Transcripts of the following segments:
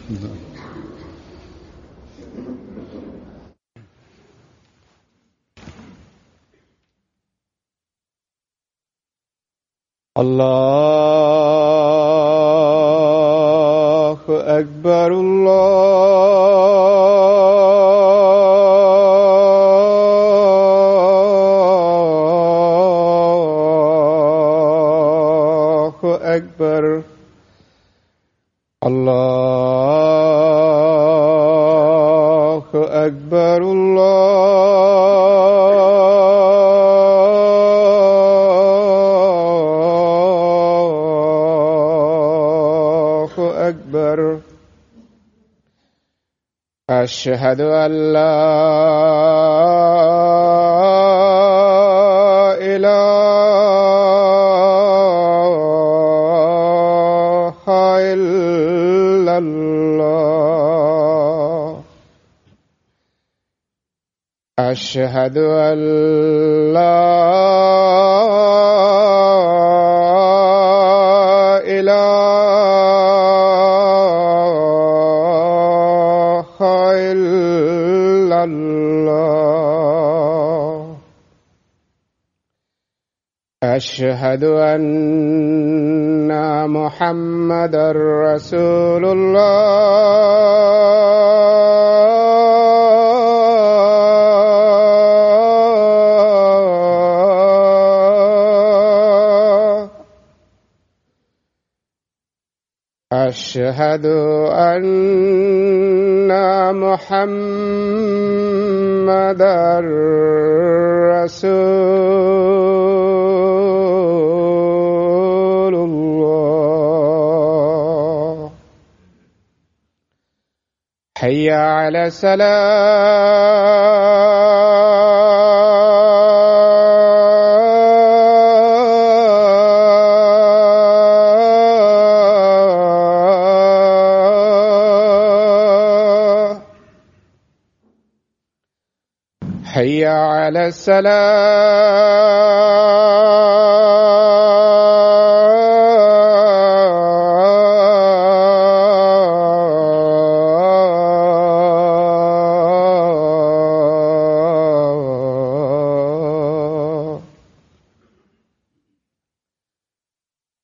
الله أكبر الله أكبر الله أكبر الله أكبر أشهد أن لا إله إلا الله أشهد أن لا إله إلا الله أشهد أن محمدا رسول الله أشهد أن محمدا رسول الله حي على السلام حي على السلام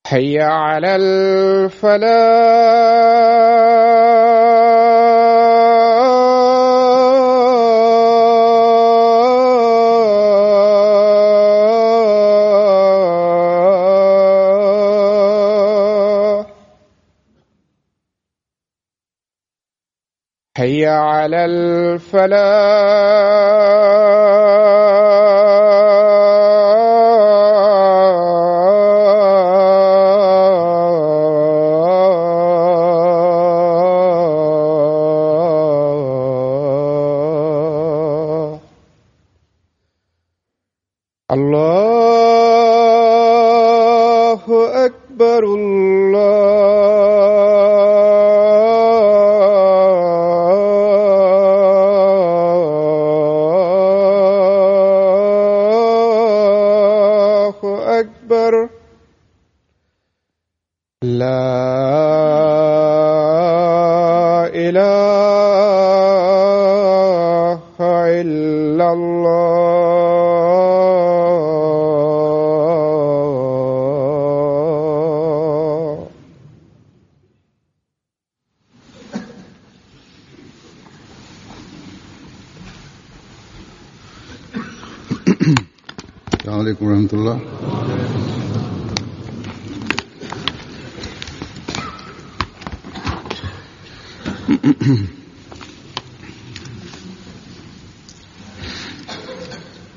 حي على الفلاح حي على الفلاح الله أكبر الله أكبر لا إله إلا الله السلام عليكم ورحمة الله.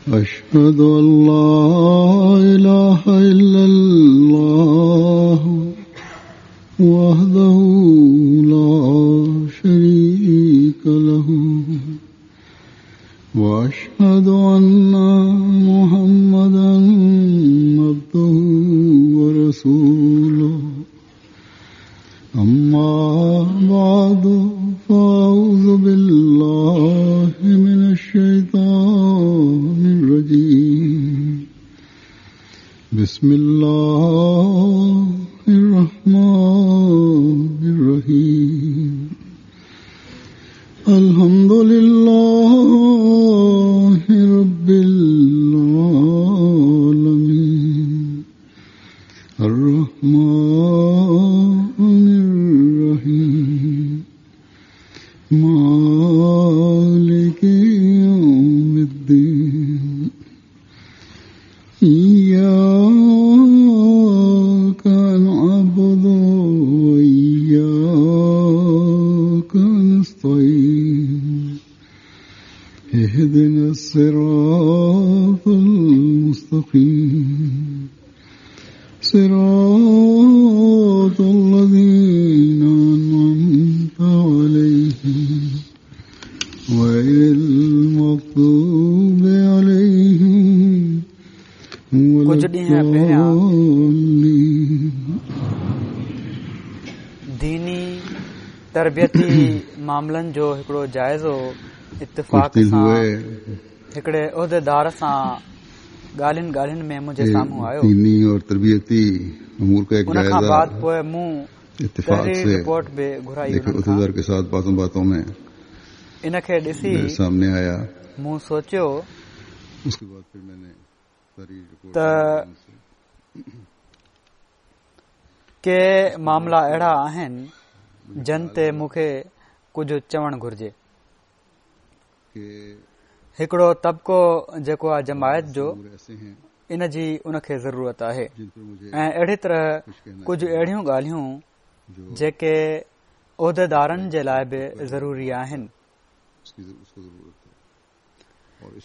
أشهد أن لا إله إلا الله وحده لا شريك له وأشهد أن محمدا عبده ورسوله. أما بعد فأعوذ بالله من الشيطان الرجيم. بسم الله الرحمن الرحيم. الصراط المستقيم صراط الذين أنعمت عليهم غير المغضوب عليهم ولا ڪجهه ڏينهن پهريان الضالين. ديني تربيتي معاملن جو هڪڙو جائزو ڪجهه اتفاق دن سان هئي هڪڙي عهديدار سان ڳالهين ڳالهين ۾ منهنجي سامهون آيو. ديني اور تربيتي امور کا ايڪ ان کان جائزه بعد پوء مون اتفاق تحريري سي رپورٽ به گهرائي ايڪ انهن کان. عهديدار ڪي ساٿ باتون باتون ۾ ان کي ڏسي ميري سامني آيا. مون سوچيو اس ڪي بعد پھر مين ني تحريري رپورٽ ته ڪي معاملا اهڙا آهن جن تي مون کي ڪجهه چوڻ گهرجي. هڪڙو طبقو جيڪو آهي جماعت جو ان جي ان کي ضرورت آهي ۽ اهڙي طرح ڪجهه اهڙيون ڳالهيون جيڪي عهديدارن جي لاء به ضروري آهن.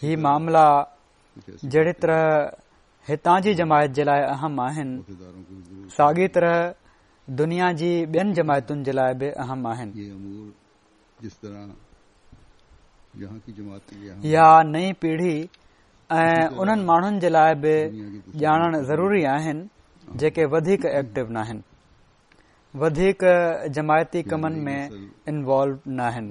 هي معاملا جهڙي طرح هتان جي جماعت جي لاء اهم آهن ساڳي طرح دنيا جي ٻين جماعتن جي لاء به اهم آهن. يا نئين پيڙهي ۽ انهن ماڻهن جي لاء به ڄاڻڻ ضروري آهن جيڪي وڌيڪ ايڪٽو ناهن، وڌيڪ جماعتي ڪمن ۾ انوالو ناهن.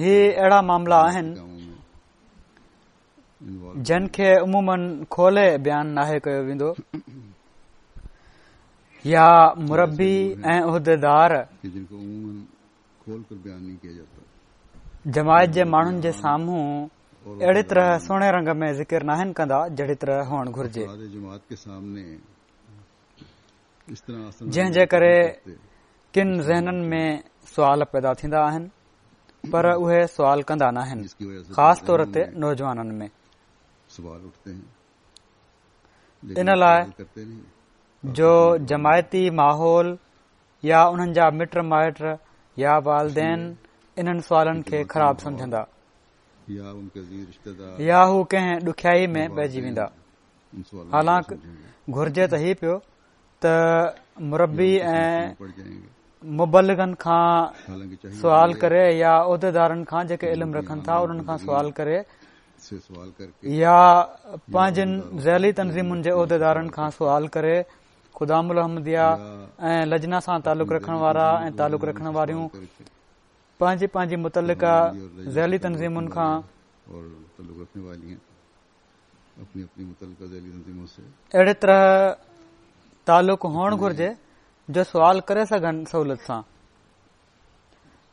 هي اهڙا معاملا آهن جن کي عموماً کولي بيان ناهي ڪيو ويندو يا مربي ۽ عهديدار جماعت جي ماڻهن جي سامهون اهڙي طرح سهڻي رنگ ۾ ذڪر ناهن ڪندا جهڙي طرح هئڻ گهرجي. جنهن جي ڪري ڪن ذهنن ۾ سوال پيدا ٿيندا آهن پر اهي سوال ڪندا ناهن خاص طور تي نوجوانن ۾ ان لاء جو جماعتي ماحول يا انهن جا مٽ مائٽ يا والدين انهن سوالن کي خراب سمجهندا يا هو ڪنهن ڏکيائي ۾ پئجي ويندا حالانڪ گهرجي ته هي پيو ته مربي ۽ مبلغن کان سوال ڪري يا عهديدارن کان جيڪي علم رکن ٿا انهن کان سوال ڪري يا پنهنجن ذيلي تنظيمن جي عهديدارن کان سوال ڪري خدام الاحمديه ۽ لجنا سان تعلق رکڻ وارا ۽ تعلق رکڻ واريون پنهنجي پنهنجي متعلقه ذيلي تنظيمن کان اهڙي طرح تعلق هئڻ گهرجي جو سوال ڪري سگهن سهولت سان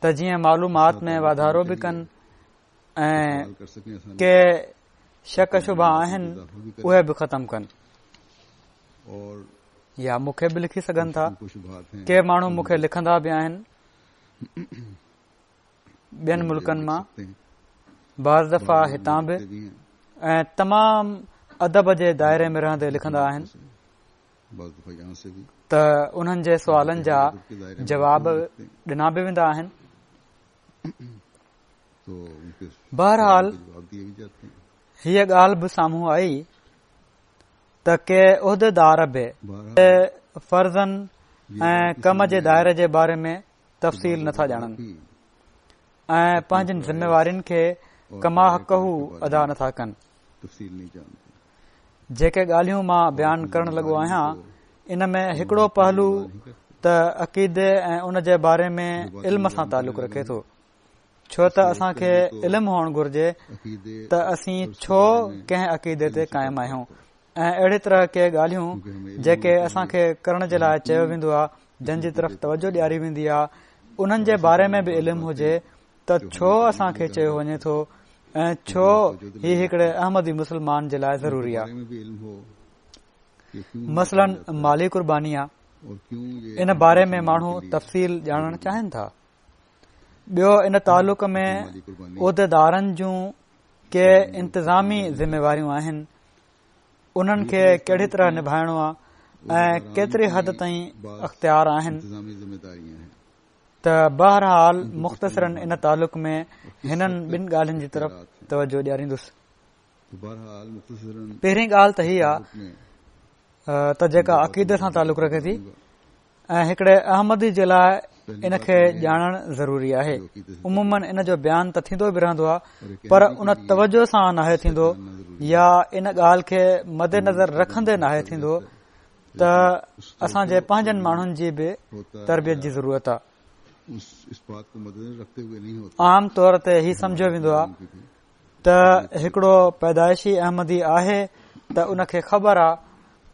ته جيئن معلومات ۾ واڌارو به ڪن ۽ ڪي شڪ شبها آهن اهي به ختم ڪن يا مون کي به لکي سگهن ٿا ڪي ماڻهو مون کي لکندا به آهن ٻين ملڪن مان بعض دفعا هتان به ۽ تمام ادب جي دائري ۾ رهندي لکندا آهن ته انهن جي سوالن جا جواب ڏنا به ويندا آهن بهرحال هيء ڳالهه به سامهون آئي ته ڪي عهديدار به فرضن ۽ ڪم جي دائري جي باري ۾ تفصيل نٿا ڄاڻن ۽ پنهنجين ذميوارين کي ڪما حقه ادا نٿا ڪن. جيڪي ڳالهيون مان بيان ڪرڻ لڳو آهيان ان ۾ هڪڙو پهلو ته عقيدي ۽ ان جي باري ۾ علم سان تعلق رکي ٿو ڇو ته اسان کي علم هئڻ گهرجي ته اسين ڇو ڪنهن عقيدي تي قائم آهيون ۽ اهڙي طرح ڪي ڳالهيون جيڪي اسان کي ڪرڻ جي لاء چيو ويندو آهي جن جي طرف توجه ڏياري ويندي آهي انهن جي باري ۾ به علم هجي ته ڇو اسان کي چيو وڃي ٿو ۽ ڇو هي هڪڙي احمدي مسلمان جي لاء ضروري آهي مثلاً مالي قرباني آهي ان باري ۾ ماڻهو تفصيل ڄاڻڻ چاهين ٿا ٻيو ان تعلق ۾ عهديدارن جون ڪي انتظامي ذميواريون آهن انهن کي ڪهڙي طرح نڀائڻو آهي ۽ ڪيتري حد تائين اختيار آهن. ته بهرحال مختصراً ان تعلق ۾ هنن ٻن ڳالهين جي طرف توجه ڏياريندس. پهرين ڳالهه ته هي آ ته جيڪا عقيدي سان تعلق رکي ٿي ۽ هڪڙي احمدي جي لاء ان کي ڄاڻڻ ضروري آهي. عموماً ان جو بيان ته ٿيندو به رهندو آهي پر ان توجه سان ناهي ٿيندو يا ان ڳالهه کي مد نظر رکندي ناهي ٿيندو ته اسان جي پنهنجن ماڻهن جي به تربيت جي ضرورت آهي. عام طور تي هي سمجهيو ويندو آهي ته هڪڙو پيدائشي احمدي آهي ته ان کي خبر آ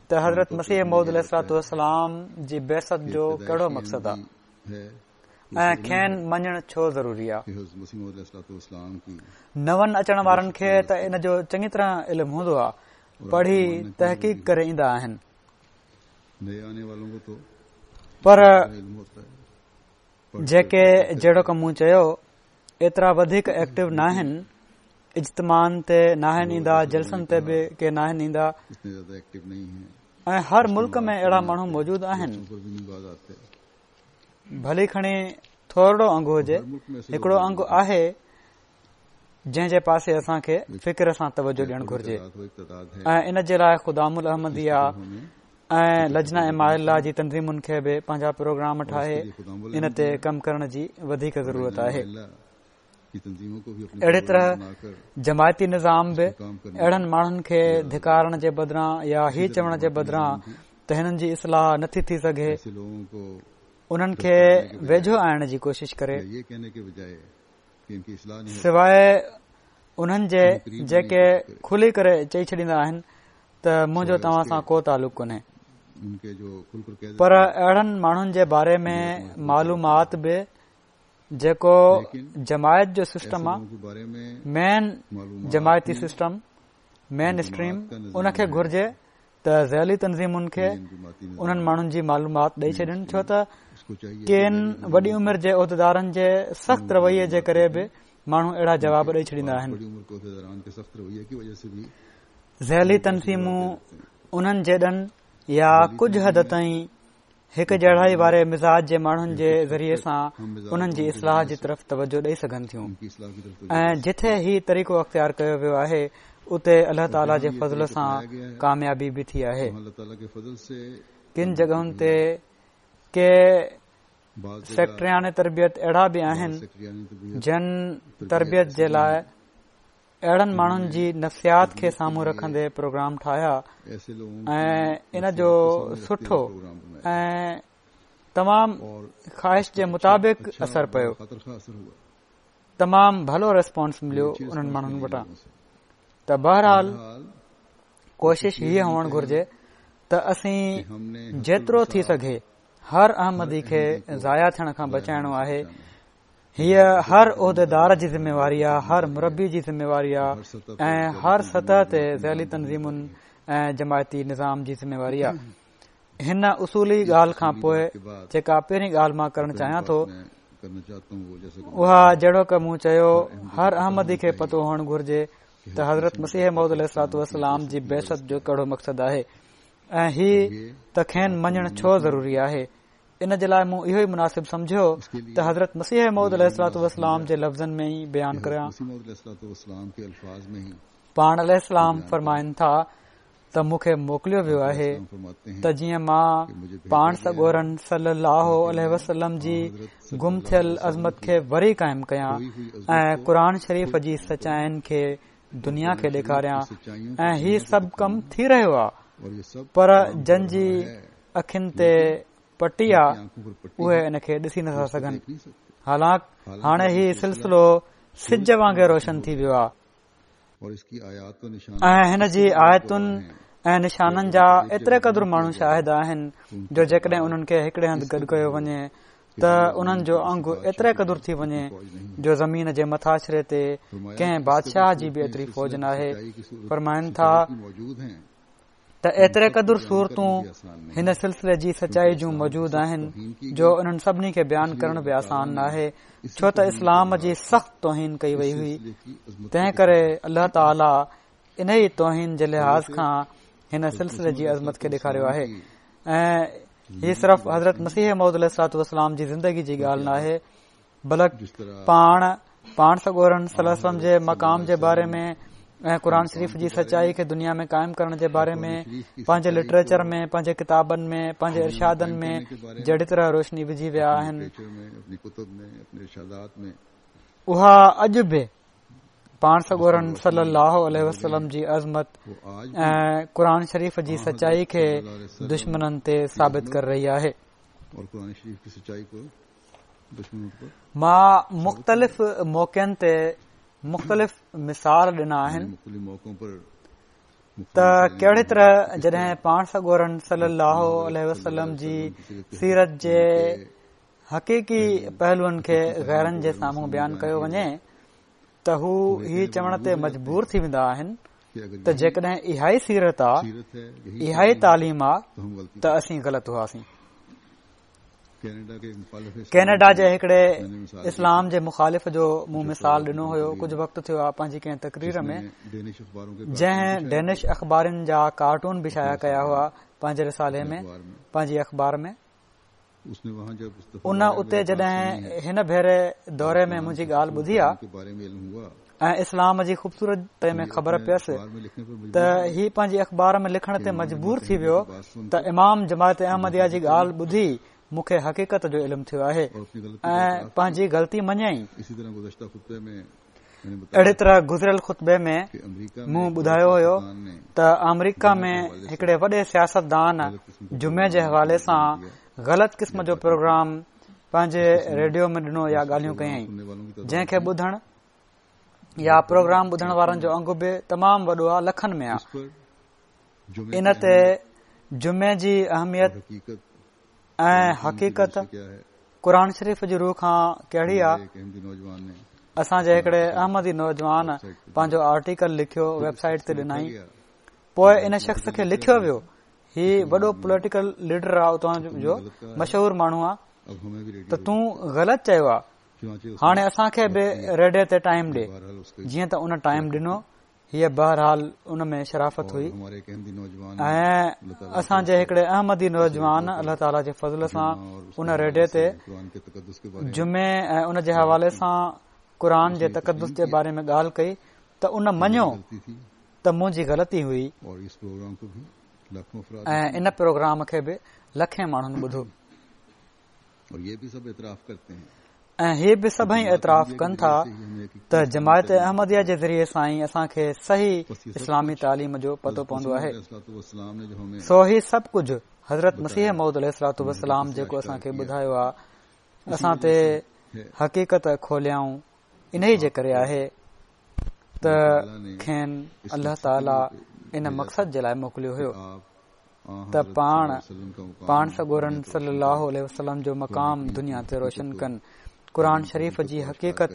ته حضرت مسيح موعود عليه الصلوة والسلام جي بعثت جو ڪهڙو مقصد آ ۽ کين مڃڻ ڇو ضروري آ. نون اچڻ وارن کي ته ان جو چڱي طرح علم هوندو آ، پڙهي تحقيق ڪري ايندا آهن پر جيڪي جهڙوڪ مون چيو ايترا وڌيڪ ايڪٽو ناهن، اجتماعن تي ناهن ايندا، جلسن تي به ڪي ناهن ايندا ۽ هر ملڪ ۾ اهڙا ماڻهو موجود آهن، ڀلي کڻي ٿورڙو انگ هجي، هڪڙو انگ آهي جنهن جي پاسي اسان کي فڪر سان توجه ڏيڻ گهرجي ۽ ان جي لاء خدام الاحمديه ۽ لجنه اماء الله جي تنظيمن کي به پنهنجا پروگرام ٺاهي ان تي ڪم ڪرڻ جي وڌيڪ ضرورت آهي. اهڙي طرح جماعتي نظام به اهڙن ماڻهن کي ڌڪارڻ جي بدران يا هي چوڻ جي بدران ته هنن جي اصلاح نٿي ٿي سگهي انهن کي ويجهو آڻڻ جي ڪوشش ڪري. سواء انهن جي جيڪي کلي ڪري چئي ڇڏيندا آهن ته منهنجو توهان سان ڪو تعلق ڪونهي پر اهڙن ماڻهن جي باري ۾ معلومات به جيڪو جماعت جو سسٽم آ مين جماعتي سسٽم مين اسٽريم ان کي گهرجي ته ذيلي تنظيمن کي انهن ماڻهن جي معلومات ڏئي ڇڏين ڇو ته ڪن وڏي عمر جي عهديدارن جي سخت رويي جي ڪري به ماڻهو اهڙا جواب ڏئي ڇڏيندا آهن. ذيلي تنظيمون انهن جيڏن يا ڪجهه حد تائين هڪ جهڙائي واري مزاج جي ماڻهن جي ذريعي سان انهن جي اصلاح جي طرف توجه ڏئي سگهن ٿيون ۽ جٿي هي طريقو اختيار ڪيو ويو آهي اتي الله تعاليٰ جي فضل سان ڪاميابي به ٿي آهي. ڪن جڳهن تي ڪي سيڪريٽريان تربيت اهڙا به آهن جن تربيت جي لاء اهڙن ماڻهن جي نفسيات کي سامهون رکندي پروگرام ٺاهيا ۽ ان جو سٺو ۽ تمام خواهش جي مطابق اثر پيو تمام ڀلو ريسپانس مليو انهن ماڻهن وٽان ته بهرحال ڪوشش هيء هئڻ گهرجي ته اسين جيترو ٿي سگهي هر احمدي کي ضايع ٿيڻ کان بچائڻو آهي هيء هر عهديدار جي ذميواري آ، هر مربي جي ذميواري آ ۽ هر سطح تي ذيلي تنظيمن ۽ جماعتي نظام جي ذميواري آ. هن اصولي ڳالهه کان پوء جيڪا پهرين ڳالهه مان ڪرڻ چاهيان ٿو اها جهڙوڪ مون چيو هر احمدي کي پتو هئڻ گهرجي ته حضرت مسيح موعود عليه الصلوة والسلام جي بعثت جو ڪهڙو مقصد آهي ۽ هي ته کين مڃڻ ڇو ضروري آهي. ان جي لاء مون اهو ئي مناسب سمجهيو ته حضرت مسيح موعود عليه الصلوة والسلام جي لفظن ۾ ئي بيان ڪريان. پاڻ عليه السلام فرمائن ٿا ته مون کي موڪليو ويو آهي ته جيئن مان پاڻ سڳورن صلي الله عليه وسلم جي گم ٿيل عظمت کي وري قائم ڪيان ۽ قرآن شريف جي سچائين کي دنيا کي ڏيکاريان ۽ هي سڀ ڪم ٿي رهيو آهي پر جن جي اکين تي پٽي آ اهي ان کي ڏسي نٿا سگهن حالانڪ هاڻي هي سلسلو سج وانگي روشن ٿي ويو آ ۽ هن جي آيتن ۽ نشانن جا ايتري قدر ماڻهو شاهد آهن جو جيڪڏهن انهن کي هڪڙي هنڌ گڏ ڪيو وڃي ته انهن جو انگ ايتري قدر ٿي وڃي جو زمين جي مٿاڇري تي ڪنهن بادشاهه جي به ايتري فوج ناهي فرمائن ٿا ته ايتري قدر صورتون هن سلسلي جي سچائي جون موجود آهن جو انهن سڀني کي بيان ڪرڻ به آسان ناهي ڇو ته اسلام جي سخت توهين ڪئي وئي هئي تنهن ڪري الله تعاليٰ انهي توهين جي لحاظ کان هن سلسلي جي عظمت کي ڏيکاريو آهي ۽ هي صرف حضرت مسيح موعود عليه الصلوة والسلام جي زندگي جي ڳالهه ناهي بلڪ پاڻ پاڻ سڳورن صلي الله عليه وسلم جي مقام جي باري ۾ ۽ قرآن شريف جي سچائي کي دنيا ۾ قائم ڪرڻ جي باري ۾ پنهنجي لٽريچر ۾ پنهنجي ڪتابن ۾ پنهنجي ارشادن ۾ جهڙي طرح روشني وجهي ويا آهن اها اڄ به پاڻ سڳورن صلي الله عليه وسلم جي عظمت ۽ قرآن شريف جي سچائي کي دشمنن تي ثابت ڪري رهي آهي. مان مختلف موقعن تي مختلف مثال ڏنا آهن ته ڪهڙي طرح جڏهن پاڻ سڳورن صلي الله عليه وسلم جي سيرت جي حقيقي پهلوئن کي غيرن جي سامهون بيان ڪيو وڃي ته هو هي چوڻ تي مجبور ٿي ويندا آهن ته جيڪڏهن اها ئي سيرت آ اها ئي تعليم آ ته اسين غلط هئاسين. ڪينيڊا جي هڪڙي اسلام جي مخالف جو مون مثال ڏنو هيو ڪجهه وقت ٿيو آ پنهنجي ڪنهن تقرير ۾ جنهن ڊينش اخبارن جا ڪارٽون به شايع ڪيا هئا پنهنجي رسالي ۾ پنهنجي اخبار ۾. ان اتي جڏهن هن ڀيري دوري ۾ منهنجي ڳالهه ٻڌي آ ۽ اسلام جي خوبصورتي ۾ خبر پيس ته هي پنهنجي اخبار ۾ لکڻ تي مجبور ٿي ويو ته امام جماعت احمديه جي ڳالهه ٻڌي مون کي حقيقت جو علم ٿيو آهي ۽ پنهنجي غلطي مڃيائين. اهڙي طرح گذريل خطبي ۾ مون ٻڌايو هيو ته آمريڪا ۾ هڪڙي وڏي سياستدان جمعي جي حوالي سان غلط قسم جو پروگرام پنهنجي ريڊيو ۾ ڏنو يا ڳالهيون ڪيائين جنهن کي ٻڌڻ يا پروگرام ٻڌڻ وارن جو انگ به تمام وڏو آهي لکن ۾ آهي ان تي جمعي جي اهميت ۽ حقيقت قرآن شريف جي رو کان ڪهڙي آ اسان جي هڪڙي احمدي نوجوان پنهنجو آرٽيڪل لکيو ويب سائيٽ تي ڏنائين پوء ان شخص کي لکيو ويو هي وڏو پوليٽيڪل ليڊر آ اتان جو مشهور ماڻهو آ ته تون غلط چيو آ هاڻي اسان کي به ريڊيو تي ٽائيم ڏي جيئن ته ان ٽائيم ڏنو هيء بهرحال ان ۾ شرافت هئي ۽ اسان جي هڪڙي احمدي نوجوان الله تعاليٰ جي فضل سان ان ريڊيو تي جمعي ۽ ان جي حوالي سان قرآن جي تقدس جي باري ۾ ڳالهه ڪئي ته ان مڃيو ته منهنجي غلطي هئي ۽ ان پروگرام کي به لکين ماڻهن ٻڌو. ۽ هي به سڀئي اعتراف ڪن ٿا ته جماعت احمديه جي ذريعي سان ئي اسان کي صحيح اسلامي تعليم جو پتو پوندو آهي. سو هي سڀ ڪجهه حضرت مسيح موعود عليه الصلوة والسلام جيڪو اسان کي ٻڌايو آهي اسان تي حقيقت کوليائون انهي جي ڪري آهي ته کين الله تعالي ان مقصد جي لاء موڪليو هيو. ته پاڻ پاڻ سڳورن صلي الله عليه وسلم جو مقام دنيا تي روشن ڪن قرآن شريف جي حقيقت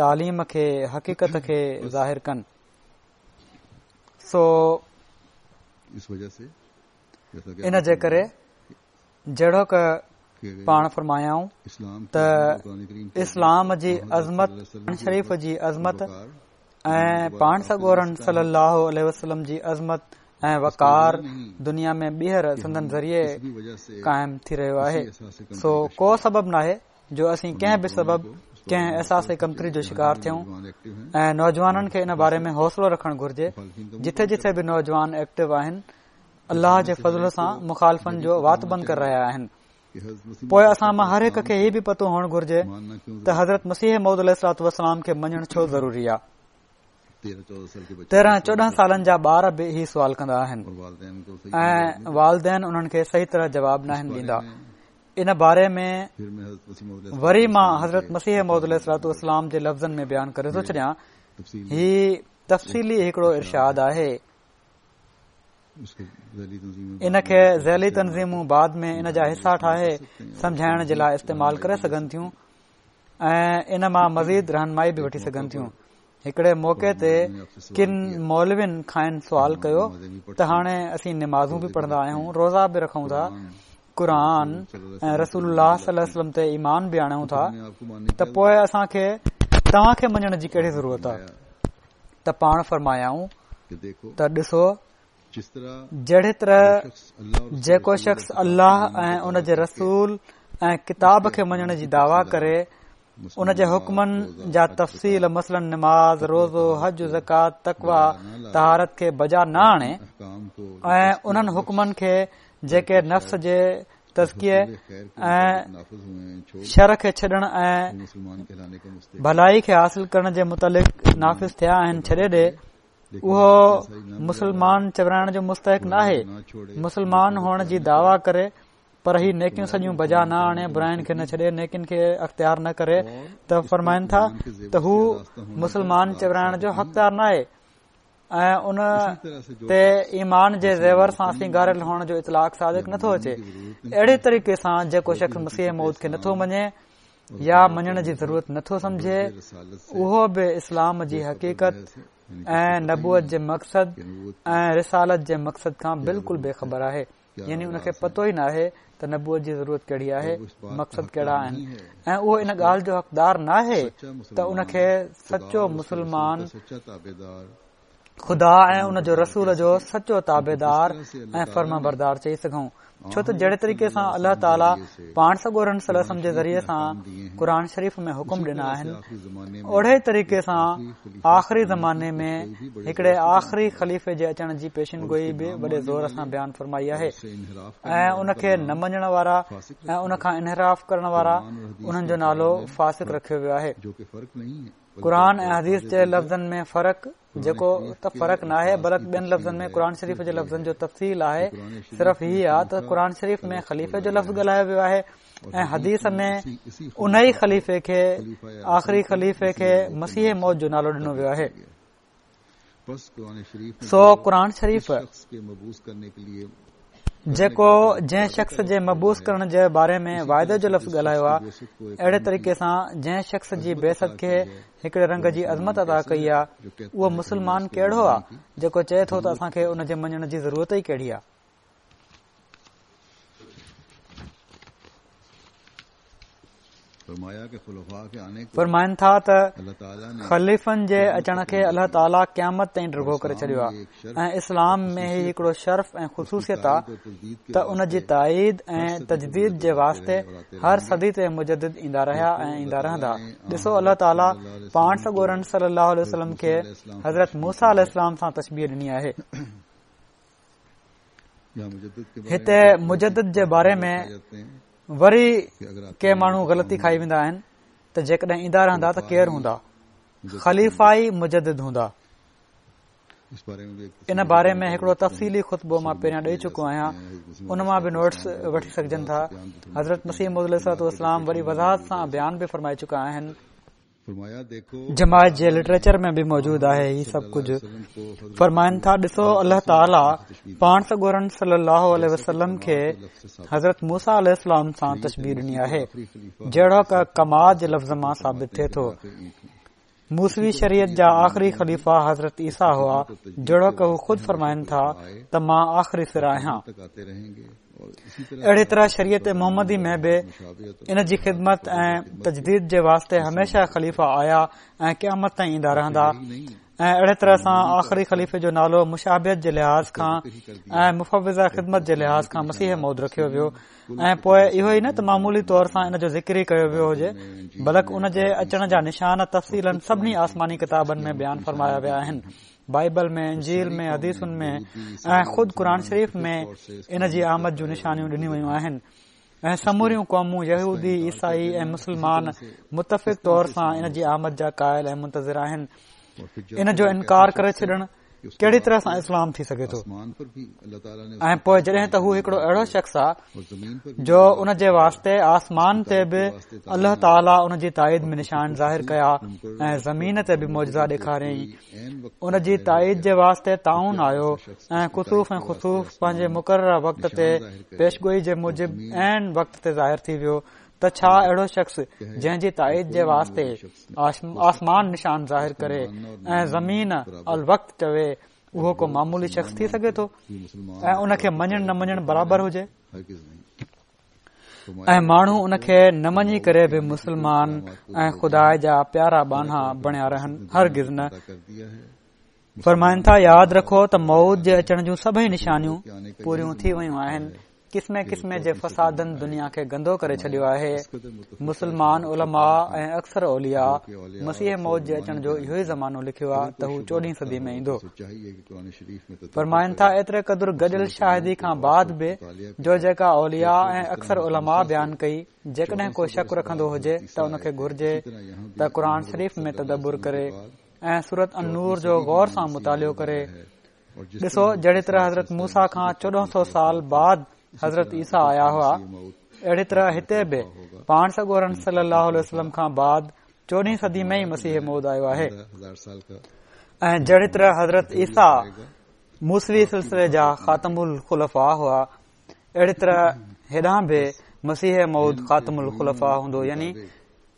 تعليم کي حقيقت کي ظاهر ڪن سو ان جي ڪري جهڙوڪ پاڻ فرمايائون ته اسلام جي عظمت شريف جي عظمت ۽ پاڻ سڳورن صلي الله عليه وسلم جي عظمت ۽ وقار دنيا ۾ ٻيهر سندن ذريعي قائم ٿي رهيو آهي سو ڪو سبب ناهي جو اسين ڪنهن به سبب ڪنهن احساس ڪمتري جو شڪار ٿيون ۽ نوجوانن کي ان باري ۾ حوصلو رکڻ گهرجي جٿي جٿي به نوجوان ايڪٽو آهن الله جي فضل سان مخالفن جو وات بند ڪري رهيا آهن پوء اسان مان هر هڪ کي هي به پتو هئڻ گهرجي ته حضرت مسيح موعود عليه الصلوة والسلام کي مڃڻ ڇو ضروري آهي 13 14 سالن جا ٻار به هي سوال ڪندا آهن ۽ والدين انهن کي صحيح طرح جواب ناهن ڏيندا ان باري ۾ وري مان حضرت مسيح موعود عليه الصلوة والسلام جي لفظن ۾ بيان ڪري ٿو ڇڏيان هي تفصيلي هڪڙو ارشاد آهي ان کي ذيلي تنظيمون بعد ۾ ان جا حصا ٺاهي سمجهائڻ جي لاء استعمال ڪري سگهن ٿيون ۽ ان مان مزيد رهنمائي به وٺي سگهن ٿيون هڪڙي موقعي تي ڪن مولوين کانئن سوال ڪيو ته هاڻي اسين نمازون به پڙهندا آهيون روزا به رکون ٿا قرآن ۽ رسول الله صلي الله عليه وسلم تي ايمان به آڻيون ٿا ته پوء اسان کي توهان کي مڃڻ جي ڪهڙي ضرورت آهي ته پاڻ فرمايائون ته ڏسو جهڙي طرح جيڪو شخص الله ۽ ان جي رسول ۽ ڪتاب کي مڃڻ جي دعويٰ ڪري ان جي حڪمن جا تفصيل مثلاً نماز، روزو، حج، زڪوات، تقويٰ، طهارت کي بجا نه آڻي ۽ انهن حڪمن کي جيڪي نفس جي تزڪيي ۽ شر کي ڇڏڻ ۽ ڀلائي کي حاصل ڪرڻ جي متعلق نافذ ٿيا آهن ڇڏي ڏي اهو مسلمان چورائڻ جو مستحق ناهي مسلمان هئڻ جي دعويٰ ڪري پر هي نيڪيون سڄيون بجا نه آڻي براين کي نه ڇڏي نيڪين کي اختيار نه ڪري ته فرمائن ٿا ته هو مسلمان چورائڻ جو حقدار ناهي ۽ ان تي ايمان جي زيور سان سينگاريل هئڻ جو اطلاق صادق نٿو اچي اهڙي طريقي سان جيڪو شخص مسيح موعود کي نٿو مڃي يا مڃڻ جي ضرورت نٿو سمجهي اهو به اسلام جي حقيقت ۽ نبوت جي مقصد ۽ رسالت جي مقصد کان بلڪل بي خبر آهي يعني ان کي پتو ئي ناهي ته نبوت جي ضرورت ڪهڙي آهي مقصد ڪهڙا آهن ۽ اهو ان ڳالهه جو حقدار ناهي ته ان کي سچو مسلمان خدا ۽ ان جو رسول جو سچو تابعدار ۽ فرمانبردار چئي سگهون ڇو ته جهڙي طريقي سان الله تعاليٰ پاڻ سڳورن صلي الله عليه وسلم جي ذريعي سان قرآن شريف ۾ حڪم ڏنا آهن اهڙي طريقي سان آخري زماني ۾ هڪڙي آخري خليفي جي اچڻ جي پيشن گوئي به وڏي زور سان بيان فرمائي آهي ۽ ان کي نه مڃڻ وارا ۽ ان کان انحراف ڪرڻ وارا انهن جو نالو فاسق رکيو ويو آهي قرآن ۽ حديث جي لفظن ۾ فرق جيڪو ته فرق ناهي بلڪ ٻين لفظن ۾ قرآن شريف جي لفظن جو تفصيل آهي صرف هي آ ته قرآن شريف ۾ خليفي جو لفظ ڳالهايو ويو آهي ۽ حديث ۾ ان ئي خليفي کي آخري خليفي کي مسيح موعود جو نالو ڏنو ويو آهي سو قرآن شريف جيڪو جنهن شخص جي مبعوث ڪرڻ جي باري ۾ واعدي جو لفظ ڳالهايو آهي اهڙي طريقي سان جنهن شخص جي بعثت کي هڪڙي رنگ جي عظمت عطا ڪئي آهي اهو مسلمان ڪهڙو آهي جيڪو چئي ٿو ته اسان کي ان جي مڃڻ جي ضرورت ئي ڪهڙي آهي فرمائن ٿا ته خليفن جي اچڻ کي الله تعاليٰ قيامت تائين ڊگهو ڪري ڇڏيو آهي ۽ اسلام ۾ هي هڪڙو شرف ۽ خصوصيت آهي ته ان جي تائيد ۽ تجديد جي واسطي هر صدي تي مجدد ايندا رهيا ۽ ايندا رهندا ڏسو الله تعاليٰ پاڻ سڳورن صلي الله عليه وسلم کي حضرت موسيٰ عليه السلام سان تشبيهه ڏني آهي هتي مجدد جي باري ۾ وري ڪي ماڻهو غلطي کائي ويندا آهن ته جيڪڏهن ايندا رهندا ته ڪير هوندا خليفا ئي مجدد هوندا ان باري ۾ هڪڙو تفصيلي خطبو مان پهريان ڏئي چڪو آهيان ان مان به نوٽس وٺي سگهجن ٿا حضرت مسيح موعود عليه الصلوٰة والسلام وڏي وضاحت سان بيان به فرمائي چڪا آهن جماعت جي لٽريچر ۾ به موجود آهي هي سڀ ڪجهه فرمائن ٿا ڏسو الله تعاليٰ پاڻ سڳورن صلي الله عليه وسلم کي حضرت موسيٰ عليه السلام سان تشبيهه ڏني آهي جهڙوڪ ڪما جي لفظ مان ثابت ٿئي ٿو موسوي شريعت جا آخري خليفا حضرت عيسيٰ هئا جهڙوڪ هو خود فرمائن ٿا ته مان آخري سر آهيان اهڙي طرح شريعت محمدي ۾ به ان جي خدمت ۽ تجديد جي واسطي هميشه خليفا آيا ۽ قيامت تائين ايندا رهندا ۽ اهڙي طرح سان آخري خليفي جو نالو مشابهت جي لحاظ کان ۽ مفوضه خدمت جي لحاظ کان مسيح موعود رکيو ويو ۽ پوء اهو ئي نه ته معمولي طور سان ان جو ذڪر ئي ڪيو ويو هجي بلڪ ان جي اچڻ جا نشان تفصيلاً سڀني آسماني ڪتابن ۾ بيان فرمايا ويا آهن بائبل ۾ انجيل ۾ حديثن ۾ ۽ خود قرآن شريف ۾ ان جي آمد جون نشانيون ڏنيون ويون آهن ۽ سموريون قومون يهودي عيسائي ۽ مسلمان متفق طور سان ان جي آمد جا قائل ۽ منتظر آهن ان جو انڪار ڪري ڇڏڻ ڪهڙي طرح سان اسلام ٿي سگهي ٿو ۽ پوء جڏهن ته هو هڪڙو اهڙو شخص آ جو ان جي واسطي آسمان تي به الله تعاليٰ ان جي تائيد ۾ نشان ظاهر ڪيا ۽ زمين تي به معجزا ڏيکاريائين ان جي تائيد جي واسطي طاعون آيو ۽ ڪسوف ۽ خسوف پنهنجي مقرره وقت تي پيشگوئي جي موجب عين وقت تي ظاهر ٿي ويو ته ڇا اهڙو شخص جنهن جي تائيد جي واسطي آسمان نشان ظاهر ڪري ۽ زمين الوقت چوي اهو ڪو معمولي شخص ٿي سگهي ٿو ۽ ان کي مڃڻ نه مڃڻ برابر هجي ۽ ماڻهو ان کي نه مڃي ڪري به مسلمان ۽ خدا جا پيارا ٻانها بڻيا رهن هرگز نه. فرمائن ٿا، ياد رکو ته موعود جي اچڻ جون سڀئي نشانيون پوريون ٿي ويون آهن، قسمين قسمين جي فسادن دنيا کي گندو ڪري ڇڏيو آهي، مسلمان علماء ۽ اڪثر اولياء مسيح موعود جي اچڻ جو اهو ئي زمانو لکيو آهي ته هو چوڏهين صدي ۾ ايندو. فرمائن ٿا، ايتري قدر گڏيل شاهدي کان بعد به جو جيڪا اولياء ۽ اڪثر علماء بيان ڪئي، جيڪڏهن ڪو شڪ رکندو هجي ته ان کي گهرجي ته قرآن شريف ۾ تدبر ڪري ۽ سورت النور جو غور سان مطالعو ڪري. ڏسو جهڙي طرح حضرت موسيٰ کان 1400 سال بعد حضرت عيسيٰ آيا هئا، اهڙي طرح هتي به پاڻ سڳورن صلي الله عليه وسلم کان بعد چوڏهين صدي ۾ ئي مسيح موعود آيو آهي ۽ جهڙي طرح حضرت عيسيٰ موسوي سلسلي جا خاتم الخلفاء هئا، اهڙي طرح هيڏانهن به مسيح موعود خاتم الخلفاء هوندو يعني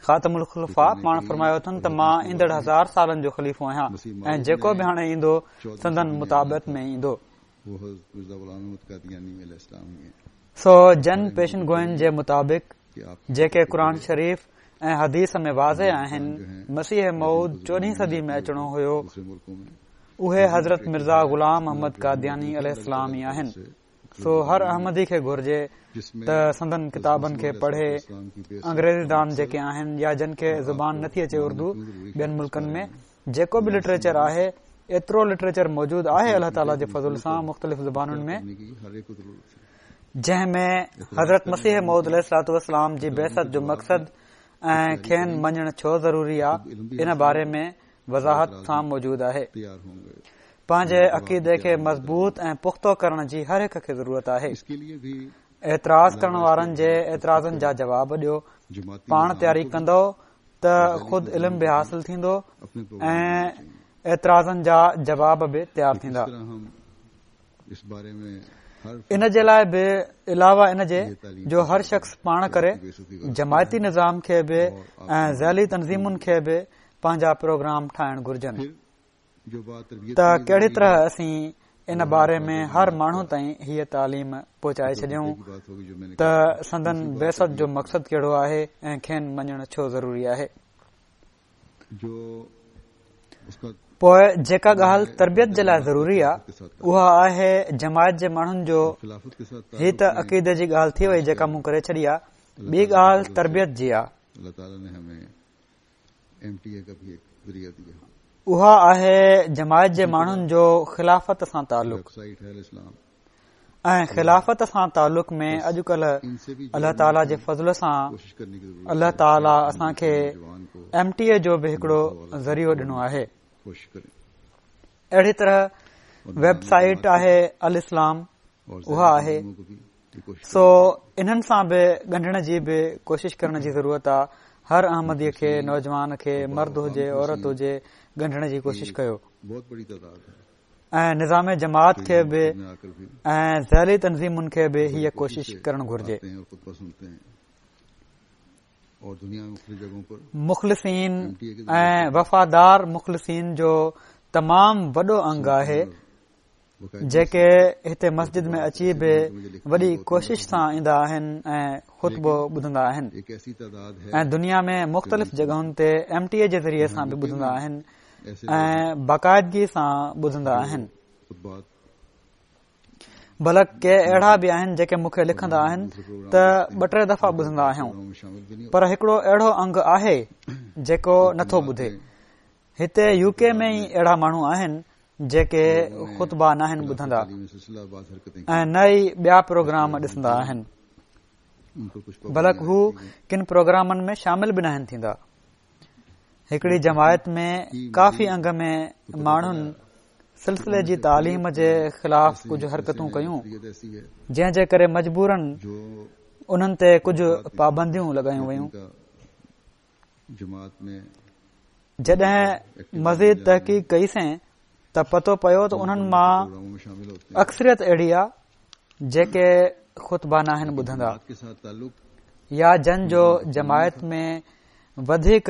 خاتم الخلفاء پاڻ فرمايو اٿن ته مان ايندڙ هزار سالن جو خليفو آهيان ۽ جيڪو به هاڻي ايندو سندن متابعت ۾ ايندو. سو جن پيشن گوئين جي مطابق جيڪي قرآن شريف ۽ حديث ۾ واضح آهن مسيح موعود چوڏهين صدي ۾ اچڻو هيو اهي حضرت مرزا غلام احمد قادياني عليه السلام ئي آهن. سو هر احمدي کي گهرجي ته سندن ڪتابن کي پڙهي، انگريزي دان جيڪي آهن يا جن کي زبان نٿي اچي اردو ٻين ملڪن ۾ جيڪو به لٽريچر آهي ايترو لٽريچر موجود آهي الله تعالي جي فضل سان مختلف زبانن ۾ جنهن ۾ حضرت مسيح موعود عليه الصلوة والسلام جي بعثت جو مقصد ۽ کين مڃڻ ڇو ضروري آ ان باري ۾ وضاحت سان موجود آهي. پنهنجي عقيدي کي مضبوط ۽ پختو ڪرڻ جي هر هڪ کي ضرورت آهي. اعتراض ڪرڻ وارن جي اعتراضن جا جواب ڏيو. پاڻ تياري ڪندؤ ته خود علم به حاصل ٿيندو ۽ اعتراضن جا جواب به تيار ٿيندا. ان جي لاء به علاوه ان جي جو هر شخص پاڻ ڪري جماعتي نظام کي به ۽ ذيلي تنظيمن کي به پنهنجا پروگرام ٺاهڻ گهرجن ته ڪهڙي طرح اسين ان باري ۾ هر ماڻهو تائين هيء تعليم پهچائي ڇڏيون ته سندن بعثت جو مقصد ڪهڙو آهي ۽ کين مڃڻ ڇو ضروري آهي. پوء جيڪا ڳالهه تربيت جي لاء ضروري آهي اها آهي جماعت جي ماڻهن جو هي ته عقيدي جي ڳالهه ٿي وئي جيڪا مون ڪري ڇڏي آهي ٻي ڳالهه تربيت جي آهي اها آهي جماعت جي ماڻهن جو خلافت سان تعلق ۽ خلافت سان تعلق ۾ اڄڪلهه الله تعاليٰ جي فضل سان الله تعاليٰ اسان کي ايم ٽي اي جو به هڪڙو ذريعو ڏنو آهي اهڙي طرح ويب سائيٽ آهي الاسلام اها آهي سو انهن سان به ڳنڍڻ جي به ڪوشش ڪرڻ جي ضرورت آ هر احمدي کي نوجوان کي مرد هجي عورت هجي ڳنڍڻ جي ڪوشش ڪيو ۽ نظام جماعت کي به ۽ ذيلي تنظيمن کي به هيء ڪوشش ڪرڻ گهرجي مخلصين ۽ وفادار مخلصين جو تمام وڏو انگ آهي جيڪي هتي مسجد ۾ اچي به وڏي ڪوشش سان ايندا آهن ۽ خطبو ٻڌندا آهن ۽ دنيا ۾ مختلف جڳهن تي ايم ٽي اي جي ذريعي سان به ٻڌندا آهن ۽ باقاعدگي سان ٻڌندا آهن بلڪ ڪي اهڙا به آهن جيڪي مون کي لکندا آهن ته ٻه ٽي دفعا ٻڌندا آهيون پر هڪڙو اهڙو انگ آهي جيڪو نٿو ٻڌي هتي يو ڪي ۾ ئي اهڙا ماڻهو آهن جيڪي خطبا ناهن ٻڌندا ۽ نه ئي ٻيا پروگرام ڏسندا آهن بلڪ هو ڪن پروگرامن ۾ شامل به ناهن ٿيندا هڪڙي جماعت ۾ ڪافي انگ ۾ ماڻهن سلسلي جي تعليم جي خلاف ڪجهه حرڪتون ڪيون جنهن جي ڪري مجبورن انهن تي ڪجهه پابنديون لڳايون ويون جڏهن مزيد تحقيق ڪئي سين ته پتو پيو ته انهن مان اڪثريت اهڙي آ جيڪي خطبا ناهن ٻڌندا يا جن جو جماعت ۾ وڌيڪ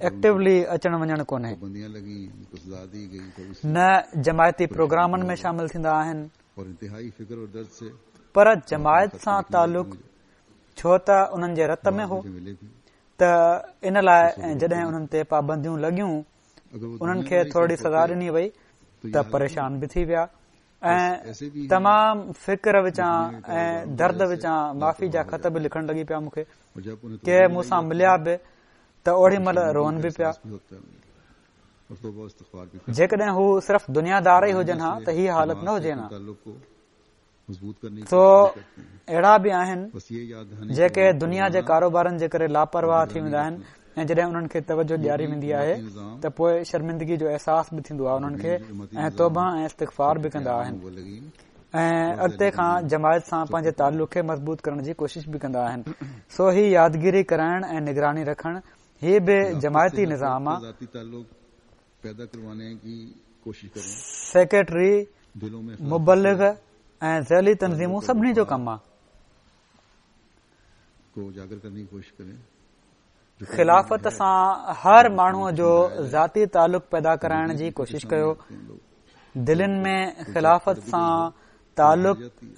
ايڪٽيولي اچڻ وڃڻ ڪونهي نه جماعتي پروگرامن ۾ شامل ٿيندا آهن پر جماعت سان تعلق ڇو ته انهن جي رت ۾ هو ته ان لاء جڏهن انهن تي پابنديون لڳيون انهن کي ٿورڙي سزا ڏني وئي. ته پريشان به ٿي ويا ۽ تمام فڪر وچان ۽ درد وچان معافي جا خط به لکڻ لڳي پيا مون کي. ڪي مون سان مليا به ته اوڏي مهل روئن به پيا. جيڪڏهن هو صرف دنيا دار ئي هجن ها ته هي حالت نه هجي ها. سو اهڙا به آهن جيڪي دنيا جي ڪاروبارن جي ڪري لاپرواهه ٿي ويندا آهن ۽ جڏهن انهن کي توجه ڏياري ويندي آهي ته پوء شرمندگي جو احساس به ٿيندو آهي انهن کي ۽ توبه ۽ استغفار به ڪندا آهن ۽ اڳتي کان جماعت سان پنهنجي تعلق کي مضبوط ڪرڻ جي ڪوشش به ڪندا آهن. سو هي يادگيري ڪرائڻ ۽ نگراني رکڻ هي به جماعتي نظام آ. سيڪريٽري، مبلغ ۽ ذيلي تنظيمون سڀني جو ڪم آ. خلافت سان هر ماڻهوء جو ذاتي تعلق پيدا ڪرائڻ جي ڪوشش ڪيو. دلين ۾ خلافت سان تعلق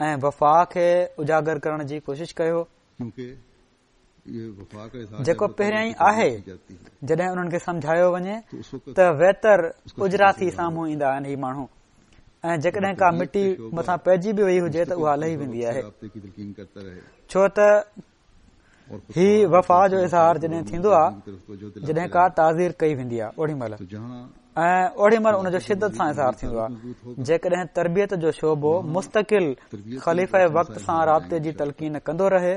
۽ وفا کي اجاگر ڪرڻ جي ڪوشش ڪيو. جيڪو پهريائين ئي آهي، جڏهن انهن کي سمجهايو وڃي ته ويتر اجرا ٿي سامهون ايندا آهن هي ماڻهو ۽ جيڪڏهن ڪا مٽي مٿان پئجي به وئي هجي ته اها لهي ويندي آهي ڇو ته هي وفا جو اظهار جڏهن ٿيندو آهي جڏهن ڪا تعزير ڪئي ويندي آهي اوڏي مهل ۽ اوڏي مهل ان جو شدت سان اظهار ٿيندو آهي جيڪڏهن تربيت جو شعبو مستقل خليفه وقت سان رابطي جي تلقين ڪندو رهي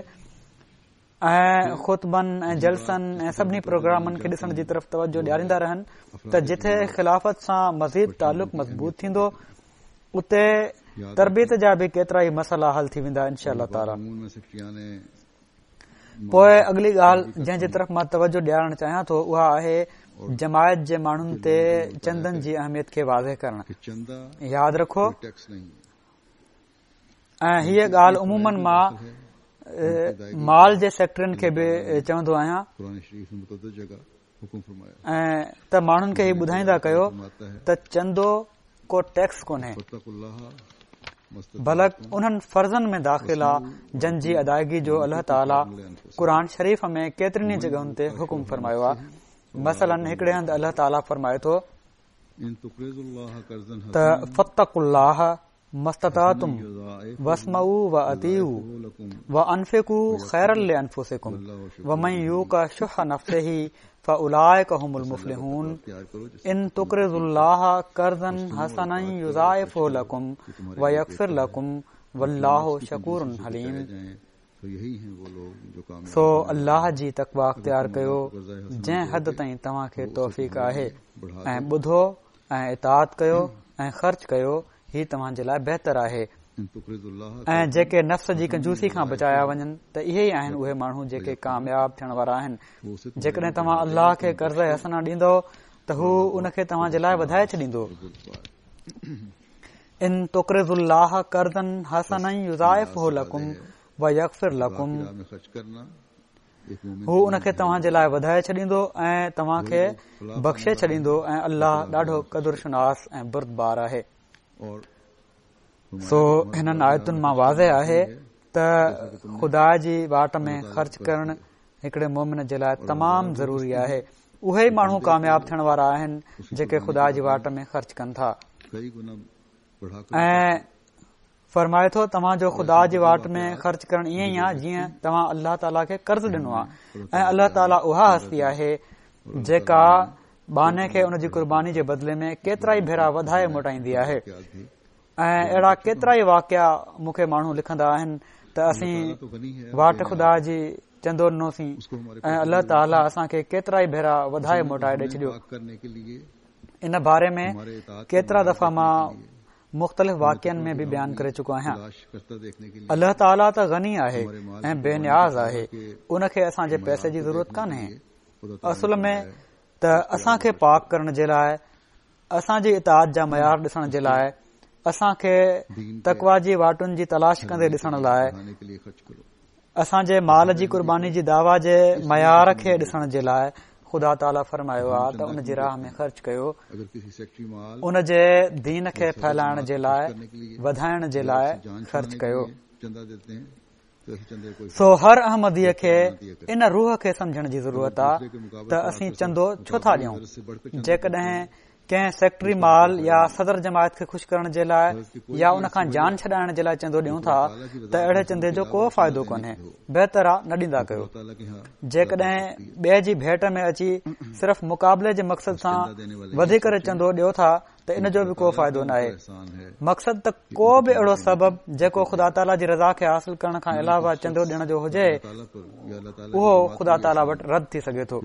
۽ خطبن ۽ جلسن ۽ سڀني پروگرامن کي ڏسڻ جي طرف توجه ڏياريندا رهن ته جتي خلافت سان مزيد تعلق مضبوط ٿيندو اتي تربيت جا به ڪيترا ئي مسئلا حل ٿي ويندا انشاء الله تعالي. پوء اڳلي ڳالهه جنهن جي طرف مان توجه ڏيارڻ چاهيان ٿو اها آهي جماعت جي ماڻهن تي چندن جي اهميت کي واضح ڪرڻ. ياد رکو ۽ هيء ڳالهه عموماً مان مال جي سيڪريٽرين کي به چوندو آهيان ۽ ته ماڻهن کي هي ٻڌائيندا ڪيو ته چندو ڪو ٽيڪس ڪونهي بلڪ انهن فرضن ۾ داخل آ جن جي ادائگي جو الله تعالي قرآن شريف ۾ ڪيترين ئي جڳهن تي حڪم فرمايو آ مثلاً هڪڙي هنڌ الله تعالي فرمائي ٿو ته فاتقوا الله ما استطعتم واسمعوا واطيعوا وانفقوا خيرا لانفسڪم ومن يوق شح نفسه فاولئڪ هم المفلحون ان تقرضوا الله قرضا حسنا يضاعفه لڪم ويغفر لڪم والله شڪور حليم سو الله جي تقويٰ اختيار ڪيو جنهن حد تائين توهان کي توفيق آهي ۽ ٻڌو ۽ اطاعت ڪيو ۽ خرچ ڪيو هي توهان جي لاء بهتر آهي ۽ جيڪي نفس جي ڪنجوسي کان بچايا وڃن ته اهي ئي آهن اهي ماڻهو جيڪي ڪامياب ٿيڻ وارا آهن جيڪڏهن توهان الله کي قرض حسنه ڏيندؤ ته هو ان کي توهان جي لاء وڌائي ڇڏيندو ان تقرضوا الله قرضا حسنا يضاعفه لڪم ويغفر لڪم هو ان کي توهان جي لاء وڌائي ڇڏيندو ۽ توهان کي بخشي ڇڏيندو ۽ الله ڏاڍو قدر شناس ۽ بردبار آهي. سو هنن آيتن مان واضح آهي ته خدا جي واٽ ۾ خرچ ڪرڻ هڪڙي مومن جي لاء تمام ضروري آهي. اهي ئي ماڻهو ڪامياب ٿيڻ وارا آهن جيڪي خدا جي واٽ ۾ خرچ ڪن ٿا. ۽ فرمائي ٿو توهان جو خدا جي واٽ ۾ خرچ ڪرڻ ائين ئي آهي جيئن توهان الله تعاليٰ کي قرض ڏنو آهي ۽ الله تعاليٰ اها هستي آهي جيڪا ٻانهي کي ان جي قرباني جي بدلي ۾ ڪيترا ئي ڀيرا وڌائي موٽائيندي آهي ۽ اهڙا ڪيترا ئي واقعا مون کي ماڻهو لکندا آهن ته اسين واٽ خدا جي چندو ڏنوسين ۽ الله تعاليٰ اسان کي ڪيترا ئي ڀيرا وڌائي موٽائي ڏئي ڇڏيو ان باري ۾ ڪيترا دفعا مان مختلف واقعن ۾ به بيان ڪري چڪو آهيان الله تعاليٰ ته غني آهي ۽ بي نياز آهي ان کي اسان جي پئسي جي ضرورت ڪانهي اصل ۾ ته اسان کي پاڪ ڪرڻ جي لاء اسان جي اطاعت جا معيار ڏسڻ جي لاء اسان کي تقويٰ جي واٽن جي تلاش ڪندي ڏسڻ لاء اسان جي مال جي قرباني جي دعويٰ جي معيار کي ڏسڻ جي لاء خدا تعاليٰ فرمايو آهي ته ان جي راهه ۾ خرچ ڪيو ان جي دين کي ڦهلائڻ جي لاء وڌائڻ جي لاء خرچ ڪيو سو هر احمديء کي ان روح کي سمجهڻ جي ضرورت آهي ته اسين چندو ڇو ٿا ڏيون جيڪڏهن ڪنهن سيڪريٽري مال يا صدر جماعت کي خوش ڪرڻ جي لاء يا ان کان جان ڇڏائڻ جي لاء چندو ڏيون ٿا ته اهڙي چندي جو ڪو فائدو ڪونهي، بهتر آ نه ڏيندا ڪيو. جيڪڏهن ٻئي جي ڀيٽ ۾ اچي صرف مقابلي جي مقصد سان وڌي ڪري چندو ڏيو ٿا ته ان جو به ڪو فائدو ناهي. مقصد ته ڪو به اهڙو سبب جيڪو خدا تعاليٰ جي رضا کي حاصل ڪرڻ کان علاوه چندو ڏيڻ جو هجي اهو خدا تعاليٰ وٽ رد ٿي سگهي ٿو.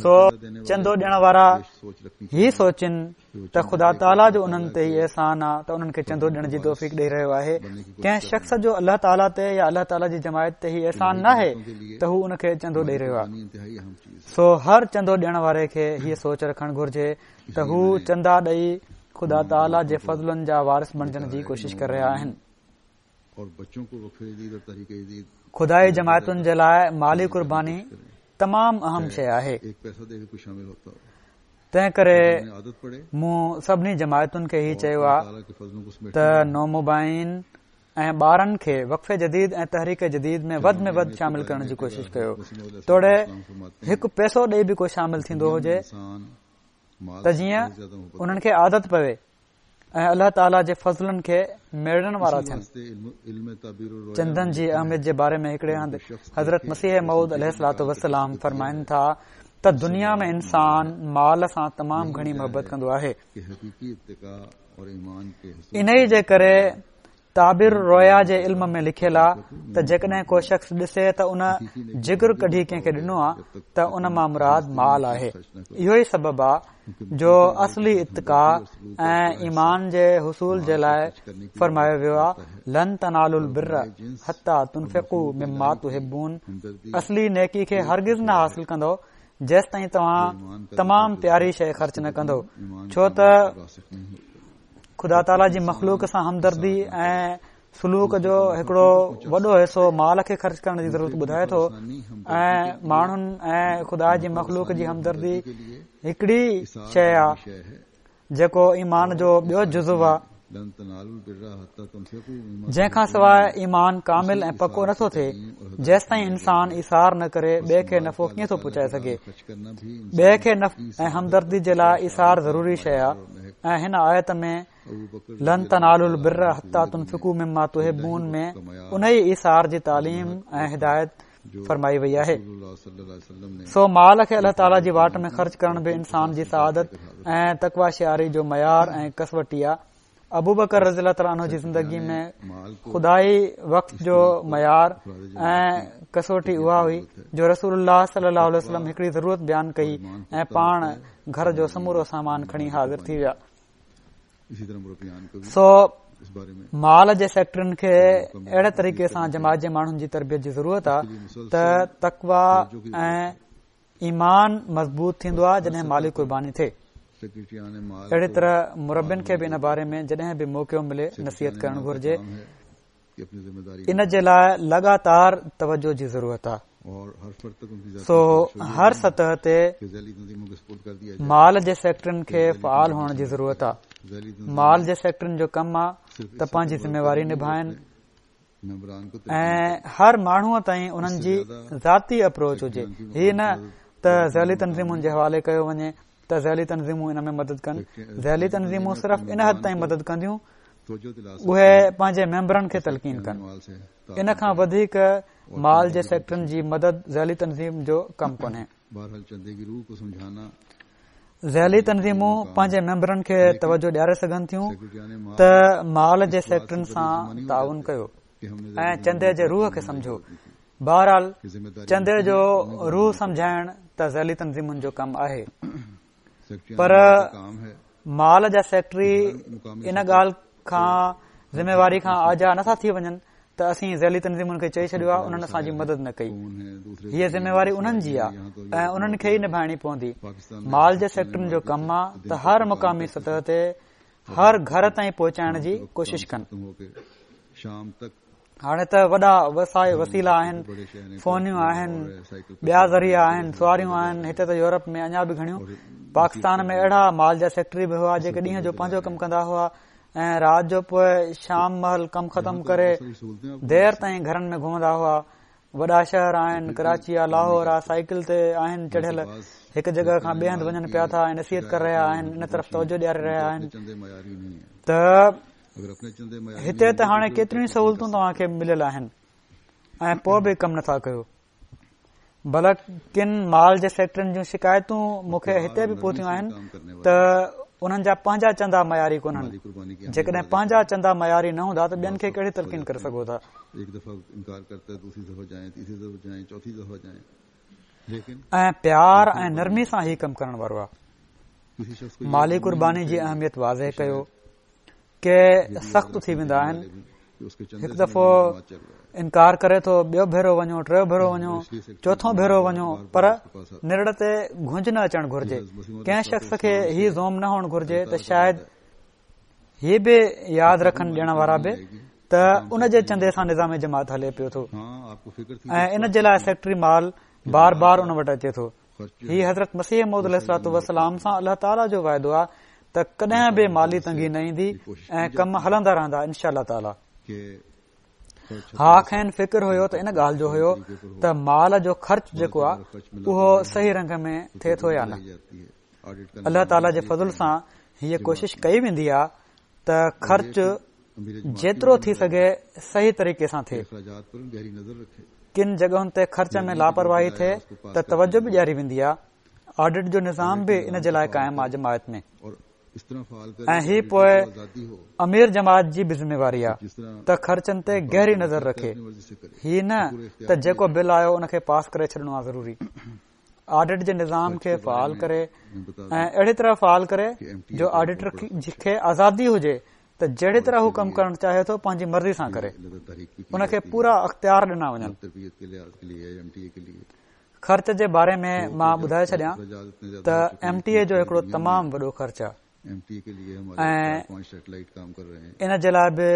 سو چندو ڏيڻ وارا هي سوچين ته خدا تعاليٰ جو انهن تي هي احسان آ ته انهن کي چندو ڏيڻ جي توفيق ڏئي رهيو آهي ڪنهن شخص جو الله تعاليٰ تي يا الله تعاليٰ جي جماعت تي هي احسان ناهي ته هو ان کي چندو ڏئي رهيو آهي سو هر چندو ڏيڻ واري کي هيء سوچ رکڻ گهرجي ته هو چندا ڏئي خدا تعاليٰ جي فضلن جا وارث بڻجڻ جي ڪوشش ڪري رهيا آهن خدائي جماعتن جي لاء مالي قرباني تمام اهم شيء آهي تنهن ڪري مون سڀني جماعتن کي هي چيو آهي ته نومبائعين ۽ ٻارن کي وقف جديد ۽ تحريڪ جديد ۾ وڌ ۾ وڌ شامل ڪرڻ جي ڪوشش ڪيو توڙي هڪ پئسو ڏئي به ڪو شامل ٿيندو هجي ته جيئن انهن کي عادت پوي ۽ الله تعاليٰ جي فضلن کي ميڙڻ وارا ٿين. چندن جي اهميت جي باري ۾ هڪڙي هنڌ حضرت مسيح موعود عليه الصلوة والسلام فرمائن ٿا ته دنيا ۾ انسان مال سان تمام گهڻي محبت ڪندو آهي. انهيء جي ڪري تعبير الرؤيا جي علم ۾ لکيل آ ته جيڪڏهن ڪو شخص ڏسي ته ان جگر ڪڍي ڪنهن کي ڏنو آ ته ان مان مراد مال آهي اهو ئي سبب آ جو اصلي اتقا ۽ ايمان جي حصول جي لاء فرمايو ويو آ لن تنالوا البر حتي تنفقوا مما تحبون اصلي نيڪي کي هرگز نه حاصل ڪندؤ جيستائين توهان تمام پياري شيء خرچ نه ڪندؤ ڇو ته خدا تعاليٰ جي مخلوق سان همدردي ۽ سلوڪ جو هڪڙو وڏو حصو مال کي خرچ ڪرڻ جي ضرورت ٻڌائي ٿو ۽ ماڻهن ۽ خدا جي مخلوق جي همدردي هڪڙي شيء آهي جيڪو ايمان جو ٻيو جزو آهي جنهن کان سواء ايمان ڪامل ۽ پڪو نٿو ٿئي جيستائين انسان ايثار نه ڪري ٻئي کي نفعو ڪيئن ٿو پهچائي سگهي ٻئي کي نفع ۽ همدردي جي لاء ايثار ضروري شيء آهي ۽ هن آيت ۾ لن تنالوا البر حتي تنفقوا مما تحبون ۾ انهي ايثار جي تعليم ۽ هدايت فرمائي وئي آهي سو مال کي الله تعالي جي واٽ ۾ خرچ ڪرڻ به انسان جي سعادت ۽ تقويٰ شعاري جو معيار ۽ ڪسوٽي آهي ابوبڪر رضي الله تعالٰي عنه جي زندگي ۾ خدائي وقف جو معيار ۽ ڪسوٽي اها هئي جو رسول الله صلي الله عليه وسلم هڪڙي ضرورت بيان ڪئي ۽ پاڻ گهر جو سمورو سامان کڻي حاضر ٿي ويا سو مال جي سيڪريٽرين کي اهڙي طريقي سان جماعت جي ماڻهن جي تربيت جي ضرورت آهي ته تقويٰ ۽ ايمان مضبوط ٿيندو آهي جڏهن مالي قرباني ٿئي. اهڙي طرح مربين کي به ان باري ۾ جڏهن به موقعو ملي نصيحت ڪرڻ گهرجي. ان جي لاء لڳاتار توجه جي ضرورت آهي. سو هر سطح تي مال جي سيڪريٽرين کي فعال هئڻ جي ضرورت آهي. مال جي سيڪريٽرين جو ڪم آهي ته پنهنجي ذميواري نڀائن. ۽ هر ماڻهوء تائين انهن جي ذاتي اپروچ هجي هي نه ته ذيلي تنظيمن جي حوالي ڪيو وڃي ته ذيلي تنظيمون ان ۾ مدد ڪن ذيلي تنظيمون صرف ان حد تائين مدد ڪنديون اهي پنهنجي ميمبرن کي تلقين ڪن ان کان وڌيڪ مال جي سيڪريٽرين جي مدد ذيلي تنظيم جو ڪم ڪونهي ذيلي تنظيمون پنهنجي ميمبرن کي توجه ڏياري سگهن ٿيون ته مال جي سيڪريٽرين سان تعاون ڪيو ۽ چندي جي روح کي سمجهو بهرحال چندي جو روح سمجهائڻ ته ذيلي تنظيمن جو ڪم آهي پر مال جا سيڪريٽري ان ڳالهه کان ذميواري کان آجا نٿا ٿي وڃن ته اسين ذيلي تنظيمن کي چئي ڇڏيو آهي انهن اسان جي مدد نه ڪئي هيء ذميواري انهن جي آهي ۽ انهن کي ئي نڀائڻي پوندي مال جي سيڪريٽرين جو ڪم آهي ته هر مقامي سطح تي هر گهر تائين پهچائڻ جي ڪوشش ڪن هاڻي ته وڏا وسيلا آهن فونيون آهن ٻيا ذريعا آهن سواريون آهن هتي ته يورپ ۾ اڃا به گهڻيون پاڪستان ۾ اهڙا مال جا سيڪريٽري به هئا جيڪي ڏينهن جو پنهنجو ڪم ڪندا هئا ۽ رات جو پوء شام مهل ڪم ختم ڪري دير تائين گهرن ۾ گهمندا هئا وڏا شهر آهن ڪراچي آ لاهور آ سائيڪل تي آهن چڙهيل هڪ جڳهه کان ٻئي هنڌ وڃن پيا ٿا ۽ نصيحت ڪري رهيا آهن ان طرف توجه ڏياري رهيا آهن ته هتي ته هاڻي ڪيتريون سهولتون توهان کي مليل آهن ۽ پوء به ڪم نٿا ڪيو بلڪ ڪن مال جي سيڪريٽرين جون شڪايتون مون کي هتي به پهتيون آهن ته انهن جا پنهنجا چندا معياري ڪونهن جيڪڏهن پنهنجا چندا معياري نه هوندا ته ٻين کي ڪهڙي تلقين ڪري سگهو ٿا. ۽ پيار ۽ نرمي سان هي ڪم ڪرڻ وارو آهي. مالي قرباني جي اهميت واضح ڪيو. ڪي سخت ٿي ويندا آهن هڪ دفعو انڪار ڪري ٿو ٻيو ڀيرو وڃو ٽيو ڀيرو وڃو چوٿون ڀيرو وڃو پر نرڙ تي گهنج نه اچڻ گهرجي ڪنهن شخص کي هي زعم نه هئڻ گهرجي ته شايد هي به ياد رکن ڏيڻ وارا به ته ان جي چندي سان نظام جماعت هلي پيو ٿو ۽ ان جي لاء سيڪريٽري مال بار بار ان وٽ اچي ٿو هي حضرت مسيح موعود عليه الصلوة والسلام سان الله تعاليٰ جو وعدو آهي ته ڪڏهن به مالي تنگي نه ايندي ۽ ڪم هلندا رهندا انشاء الله تعاليٰ. ها کين فڪر هيو ته ان ڳالهه جو هيو ته مال جو خرچ جيڪو آهي اهو صحيح رنگ ۾ ٿئي ٿو يا نه. الله تعاليٰ جي فضل سان هيء ڪوشش ڪئي ويندي آهي ته خرچ جيترو ٿي سگهي صحيح طريقي سان ٿئي. ڪن جڳهن تي خرچ ۾ لاپرواهي ٿئي ته توجه به ڏياري ويندي آهي. آڊٽ جو نظام به ان جي لاء قائم آهي جماعت ۾ ۽ هي پوء امير جماعت جي به ذميواري آهي ته خرچن تي گهري نظر رکي. هي نه ته جيڪو بل آيو ان کي پاس ڪري ڇڏڻو آهي ضروري. آڊٽ جي نظام کي فعال ڪري ۽ اهڙي طرح فعال ڪري جو آڊيٽر کي آزادي هجي ته جهڙي طرح هو ڪم ڪرڻ چاهي ٿو پنهنجي مرضي سان ڪري ان کي پورا اختيار ڏنا وڃن خرچ جي باري ۾ مان ٻڌائي ڇڏيان ته ايم ٽي اي جو هڪڙو تمام وڏو خرچ آهي ۽ ان جي لاء به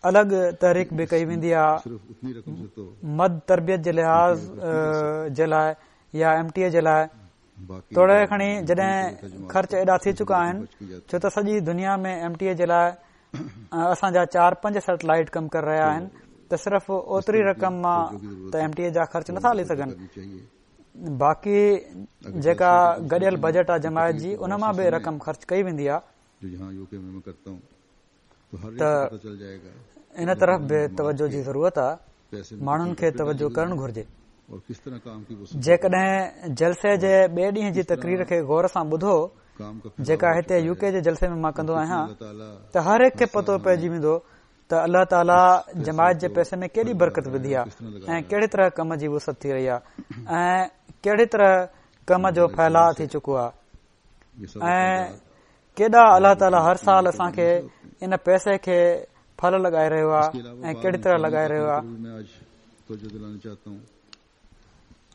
الڳ تحريڪ به ڪئي ويندي آهي مد تربيت جي لحاظ جي لاء يا ايم ٽي اي جي لاء توڙي کڻي جڏهن خرچ ايڏا ٿي چڪا آهن ڇو ته سڄي دنيا ۾ ايم ٽي اي جي لاء اسان جا چار پنج سيٽلائيٽ ڪم ڪري رهيا آهن ته صرف اوتري رقم مان ته ايم ٽي اي جا خرچ نٿا هلي سگهن باقي جيڪا گڏيل بجيٽ آ جماعت جي ان مان به رقم خرچ ڪئي ويندي آ ته ان طرف به توجه جي ضرورت آ ماڻهن کي توجه ڪرڻ گهرجي جيڪڏهن جلسي جي ٻئي ڏينهن جي تقرير کي غور سان ٻڌو جيڪا هتي يو ڪي جي جلسي ۾ مان ڪندو آهيان ته هر هڪ کي پتو پئجي ويندو ته الله تعاليٰ جماعت جي پئسي ۾ ڪيڏي برڪت وڌي آهي ۽ ڪهڙي طرح ڪم جي وسعت ٿي رهي آهي ۽ ڪهڙي طرح ڪم جو ڦهلاء ٿي چڪو آهي ۽ ڪيڏا الله تعاليٰ هر سال اسان کي ان پئسي کي ڦل لڳائي رهيو آهي ۽ ڪهڙي طرح لڳائي رهيو آهي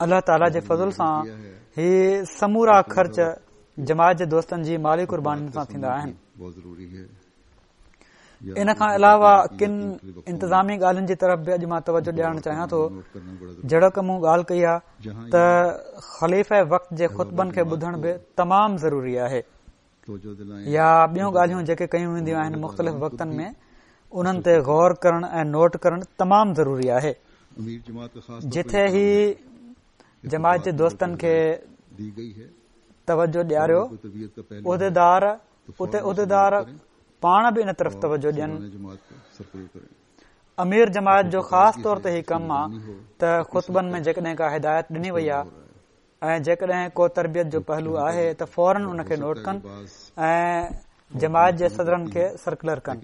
الله تعاليٰ جي فضل سان هي سمورا خرچ جماعت جي دوستن جي مالي قربانين سان ٿيندا آهن ان کان علاوه ڪن انتظامي ڳالهين جي طرف به اڄ مان توجه ڏيارڻ چاهيان ٿو جهڙوڪ مون ڳالهه ڪئي آهي ته خليفه وقت جي خطبن کي ٻڌڻ به تمام ضروري آهي يا ٻيون ڳالهيون جيڪي ڪيون وينديون آهن مختلف وقتن ۾ انهن تي غور ڪرڻ ۽ نوٽ ڪرڻ تمام ضروري آهي جتي هي جماعت جي دوستن کي توجه ڏياريو عهديدار اتي عهديدار پاڻ به ان طرف توجه ڏين. امير جماعت جو خاص طور تي هي ڪم آ ته خطبن ۾ جيڪڏهن ڪا هدايت ڏني وئي آ ۽ جيڪڏهن ڪو تربيت جو پهلو آهي ته فورن ان کي نوٽ ڪن ۽ جماعت جي صدرن کي سرڪلر ڪن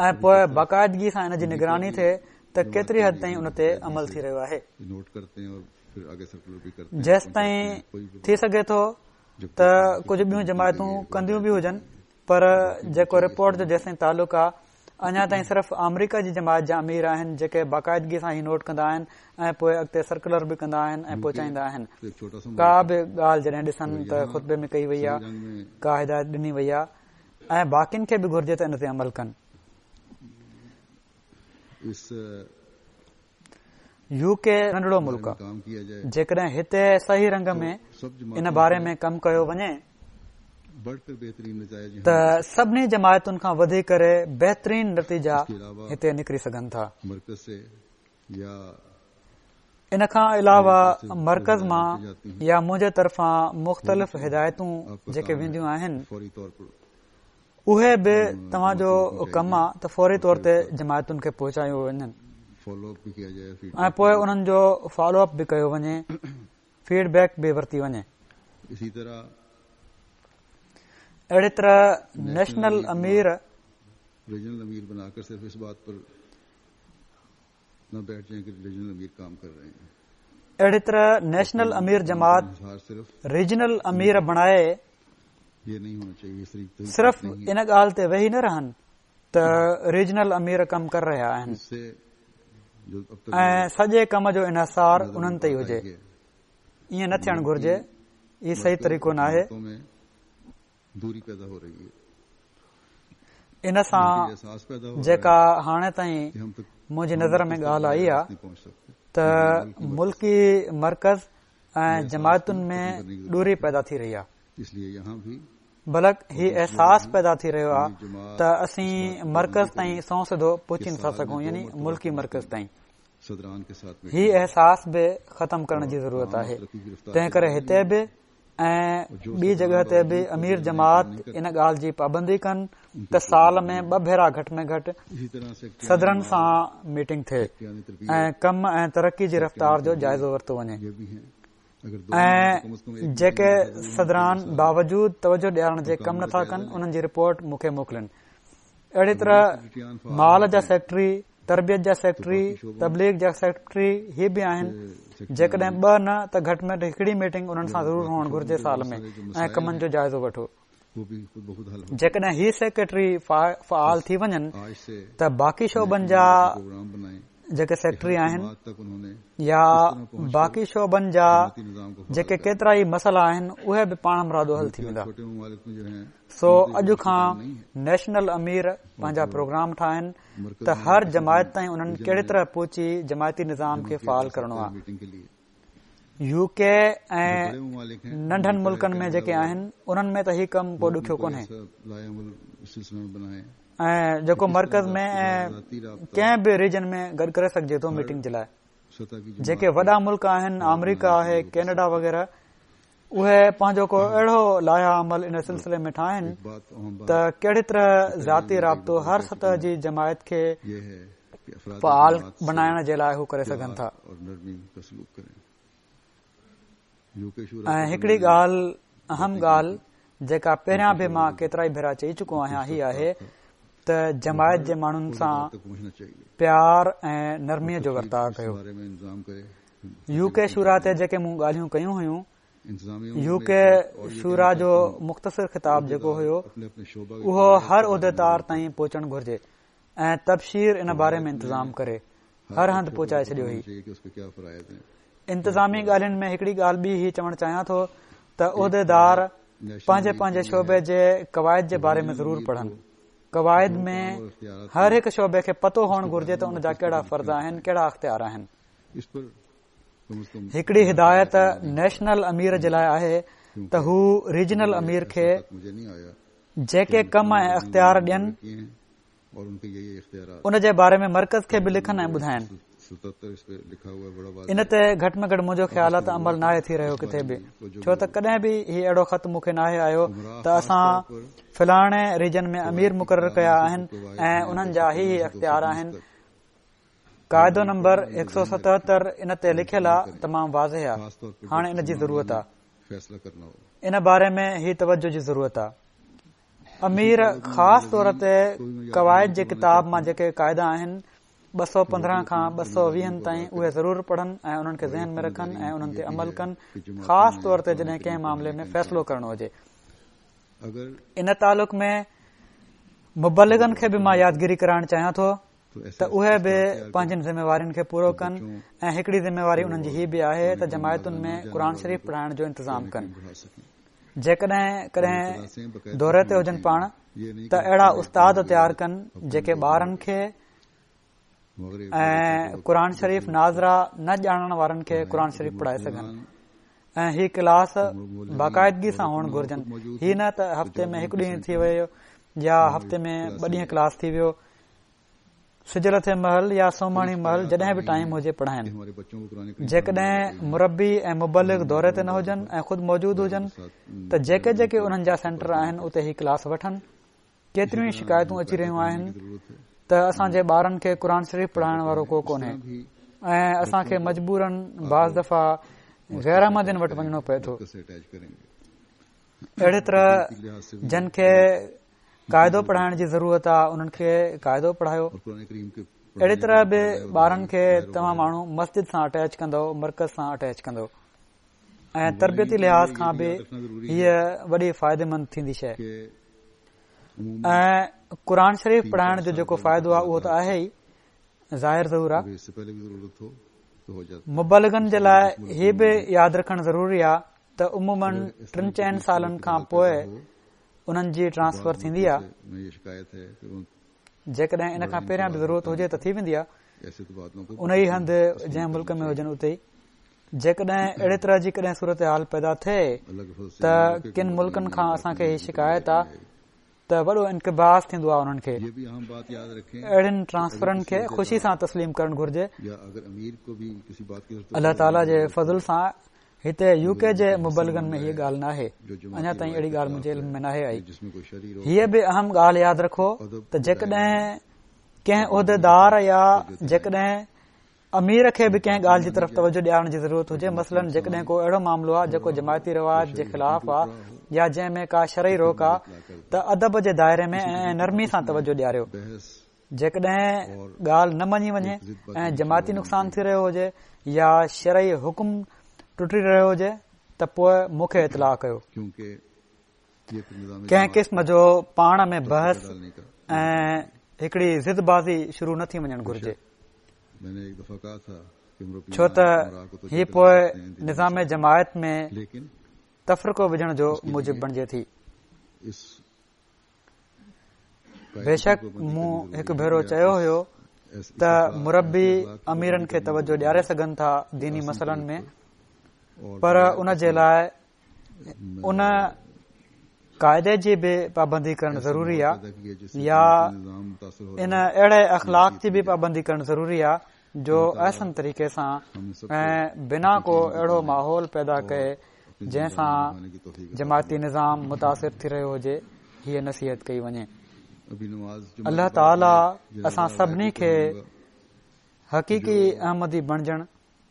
۽ پوء باقاعدگي سان ان جي نگراني ٿئي ته ڪيتري حد تائين ان تي عمل ٿي رهيو آهي. جيستائين ٿي سگهي ٿو ته ڪجهه ٻيون جماعتون ڪنديون به هجن پر جيڪو رپورٽ جو جيستائين تعلق آ اڃا تائين صرف آمريڪا جي جماعت جا امير آهن جيڪي باقاعدگي سان هي نوٽ ڪندا آهن ۽ پوء اڳتي سرڪلر به ڪندا آهن ۽ پهچائيندا آهن ڪا به ڳالهه جڏهن ڏسن ته خطبي ۾ ڪئي وئي آ ڪا هدايت ڏني وئي آ ۽ باقين کي به گهرجي ته ان تي عمل ڪن. يو ڪي ننڍڙو ملڪ آ جيڪڏهن هتي صحيح رنگ ۾ ان باري ۾ ڪم ڪيو وڃي ته سڀني جماعتن کان وڌي ڪري بهترين نتيجا هتي نڪري سگهن ٿا. ان کان علاوه مرڪز مان يا منهنجي طرفان مختلف هدايتون جيڪي وينديون آهن اهي به توهان جو ڪم آ ته فوري طور تي جماعتن کي پهچايون وڃن ۽ پوء انهن جو فالو اپ به ڪيو وڃي فيڊ بيڪ به ورتي وڃي. اهڙي طرح نيشنل امير اهڙي طرح نيشنل امير جماعت ريجنل امير بڻائي صرف ان ڳالهه تي ويهي نه رهن ته ريجنل امير ڪم ڪري رهيا آهن ۽ سڄي ڪم جو انحصار انهن تي ئي هجي ائين نه ٿيڻ گهرجي هي صحيح طريقو ناهي ان سان جيڪا هاڻي تائين منهنجي نظر ۾ ڳالهه آئي آهي ته ملڪي مرڪز ۽ جماعتن ۾ دوري پيدا ٿي رهي آهي بلڪ هي احساس پيدا ٿي رهيو آهي ته اسين مرڪز تائين سنئون سڌو پهچي نٿا سگهون يعني ملڪي مرڪز تائين هي احساس به ختم ڪرڻ جي ضرورت آهي تنهن ڪري هتي به ۽ ٻي جڳهه تي به امير جماعت ان ڳالهه جي پابندي ڪن ته سال ۾ ٻه ڀيرا گهٽ ۾ گهٽ صدرن سان ميٽنگ ٿئي ۽ ڪم ۽ ترقي جي رفتار جو جائزو ورتو وڃي ۽ جيڪي صدران باوجود توجه ڏيارڻ جي ڪم نٿا ڪن انهن جي رپورٽ مون کي موڪلين اهڙي طرح مال جا سيڪريٽري تربيت جا سيڪريٽري تبليغ جا سيڪريٽري هي به آهن جيڪڏهن ٻه نه ته گهٽ ۾ گهٽ هڪڙي ميٽنگ انهن سان ضرور هئڻ گهرجي سال ۾ ۽ ڪمن جو جائزو وٺو جيڪڏهن هي سيڪريٽري فعال ٿي وڃن ته باقي شعبن جا جيڪي سيڪريٽري آهن يا باقي شعبن جا جيڪي ڪيترا ئي مسئلا آهن اهي به پاڻمرادو حل ٿي ويندا سو اڄ کان نيشنل امير پنهنجا پروگرام ٺاهن ته هر جماعت تائين انهن ڪهڙي طرح پهچي جماعتي نظام کي فعال ڪرڻو آهي يو ڪي ۽ ننڍن ملڪن ۾ جيڪي آهن انهن ۾ ته هي ڪم ڪو ڏکيو ڪونهي ۽ جيڪو مرڪز ۾ ۽ ڪنهن به ريجن ۾ گڏ ڪري سگهجي ٿو ميٽنگ جي لاء جيڪي وڏا ملڪ آهن آمريڪا آهي ڪينيڊا وغيره اهي پنهنجو ڪو اهڙو لائحه عمل ان سلسلي ۾ ٺاهن ته ڪهڙي طرح ذاتي رابطو هر سطح جي جماعت کي فعال بنائڻ جي لاء هو ڪري سگهن ٿا ۽ هڪڙي ڳالهه اهم ڳالهه جيڪا پهريان به مان ڪيترائي ڀيرا چئي چڪو آهيان هي آهي ته جماعت جي ماڻهن سان پيار ۽ نرمي جو ورتاء ڪيو يو ڪي شورا تي جيڪي مون ڳالهيون ڪيون هيون يو ڪي شورا جو مختصر خطاب جيڪو هيو اهو هر عهديدار تائين پهچڻ گهرجي ۽ تبشير ان باري ۾ انتظام ڪري هر هنڌ پهچائي ڇڏيو هي انتظامي ڳالهين ۾ هڪڙي ڳالهه ٻي هي چوڻ چاهيان ٿو ته عهديدار پنهنجي پنهنجي شعبي جي قواعد جي باري ۾ ضرور پڙهن قواعد ۾ هر هڪ شعبي کي پتو هئڻ گهرجي ته ان جا ڪهڙا فرض آهن ڪهڙا اختيار آهن هڪڙي هدايت نيشنل امير جي لاء آهي ته هو ريجنل امير کي جيڪي ڪم ۽ اختيار ڏين ان جي باري ۾ مرڪز کي به لکن ۽ ٻڌائين ان تي گهٽ ۾ گهٽ منهنجو خيال آهي ته عمل ناهي ٿي رهيو ڪٿي به ڇو ته ڪڏهن به هي اهڙو خط مون کي ناهي آيو ته اسان فلاڻي ريجن ۾ امير مقرر ڪيا آهن ۽ انهن جا هي هي اختيار آهن قاعدو نمبر 177 ان تي لکيل آ تمام واضح آ هاڻي ان جي ضرورت آ ان باري ۾ هي توجه جي ضرورت آ امير خاص طور تي قواعد جي ڪتاب مان جيڪي قاعدا آهن 215 کان 220 تائين اهي ضرور پڙهن ۽ انهن کي ذهن ۾ رکن ۽ انهن تي عمل ڪن خاص طور تي جڏهن ڪنهن معاملي ۾ فيصلو ڪرڻو هجي ان تعلق ۾ مبلغن کي به مان يادگيري ڪرائڻ چاهيان ٿو ته اهي به پنهنجين ذميوارين کي پورو ڪن ۽ هڪڙي ذميواري انهن جي هي به آهي ته جماعتن ۾ قرآن شريف پڙهائڻ جو انتظام ڪن جيڪڏهن ڪڏهن دوري تي هجن پاڻ ته اهڙا استاد تيار ڪن جيڪي ٻارن کي ۽ قرآن شريف ناظره نه ڄاڻڻ وارن کي قرآن شريف پڙهائي سگهن ۽ هي ڪلاس باقاعدگي سان هئڻ گهرجن هي نه ته هفتي ۾ هڪ ڏينهن ٿي ويو يا هفتي ۾ ٻه ڏينهن ڪلاس ٿي ويو. سج لٿي مهل يا سومهاڻي مهل جڏهن به ٽائيم هجي پڙهائن. جيڪڏهن مربي ۽ مبلغ دوري تي نه هجن ۽ خود موجود هجن ته جيڪي جيڪي انهن جا سينٽر آهن اتي هي ڪلاس وٺن. ڪيتريون ئي شڪايتون اچي رهيون آهن ته اسان جي ٻارن کي قرآن شريف پڙهائڻ وارو ڪو ڪونهي ۽ اسان کي مجبورن بعض دفعا غير احمدين وٽ وڃڻو پئي ٿو. اهڙي طرح جن کي قاعدو پڙهائڻ جي ضرورت آهي انهن کي قاعدو پڙهايو. اهڙي طرح به ٻارن کي توهان ماڻهو مسجد سان اٽيچ ڪندؤ، مرڪز سان اٽيچ ڪندؤ ۽ تربيتي لحاظ کان به هيء وڏي فائديمند ٿيندي شيء ۽ قرآن شريف پڙهائڻ جو جيڪو فائدو آهي اهو ته آهي ئي ظاهر ظهور آهي. مبلغن جي لاء هي به ياد رکڻ ضروري آهي ته عموماً ٽن چئن سالن کان پوء انهن جي ٽرانسفر ٿيندي آهي. جيڪڏهن ان کان پهريان به ضرورت هجي ته ٿي ويندي آهي. انهي هنڌ جنهن ملڪ ۾ هجن اتي ئي. جيڪڏهن اهڙي طرح جي ڪڏهن صورتحال پيدا ٿئي ته ڪن ملڪن کان اسان کي هي شڪايت آهي ته وڏو انقباض ٿيندو آهي انهن کي اهڙين ٽرانسفرن کي خوشي سان تسليم ڪرڻ گهرجي. الله تعاليٰ جي فضل سان هتي يو ڪي جي مبلغن ۾ هيء ڳالهه ناهي، اڃا تائين اهڙي ڳالهه منهنجي علم ۾ ناهي آئي. هيء به اهم ڳالهه ياد رکو ته جيڪڏهن ڪنهن عهديدار يا جيڪڏهن امير کي به ڪنهن ڳالهه جي طرف توجه ڏيارڻ جي ضرورت هجي، مثلاً جيڪڏهن ڪو اهڙو معاملو آهي جيڪو جماعتي روايت جي خلاف آهي يا جنهن ۾ ڪا شرعي روڪ آهي ته ادب جي دائري ۾ ۽ نرمي سان توجه ڏياريو. جيڪڏهن ڳالهه نه مڃي وڃي ۽ جماعتي نقصان ٿي رهيو هجي يا شرعي حڪم ٽٽي رهيو هجي ته پوء مون کي اطلاع ڪيو. ڪنهن قسم جو پاڻ ۾ بحث ۽ هڪڙي ضد بازي شروع نه ٿي وڃڻ گهرجي ڇو ته هي پوء نظام جماعت ۾ تفرقو وجهڻ جو موجب بڻجي ٿي. بيشڪ مون هڪ ڀيرو چيو هيو ته مربي اميرن کي توجه ڏياري سگهن ٿا ديني مسئلن ۾ پر ان جي لاء ان قاعدي جي به پابندي ڪرڻ ضروري آهي يا ان اهڙي اخلاق جي به پابندي ڪرڻ ضروري آهي جو احسن طريقي سان ۽ بنا ڪو اهڙو ماحول پيدا ڪئي جنهن سان جماعتي نظام متاثر ٿي رهيو هجي هيء نصيحت ڪئي وڃي. الله تعاليٰ اسان سڀني کي حقيقي احمدي بڻجڻ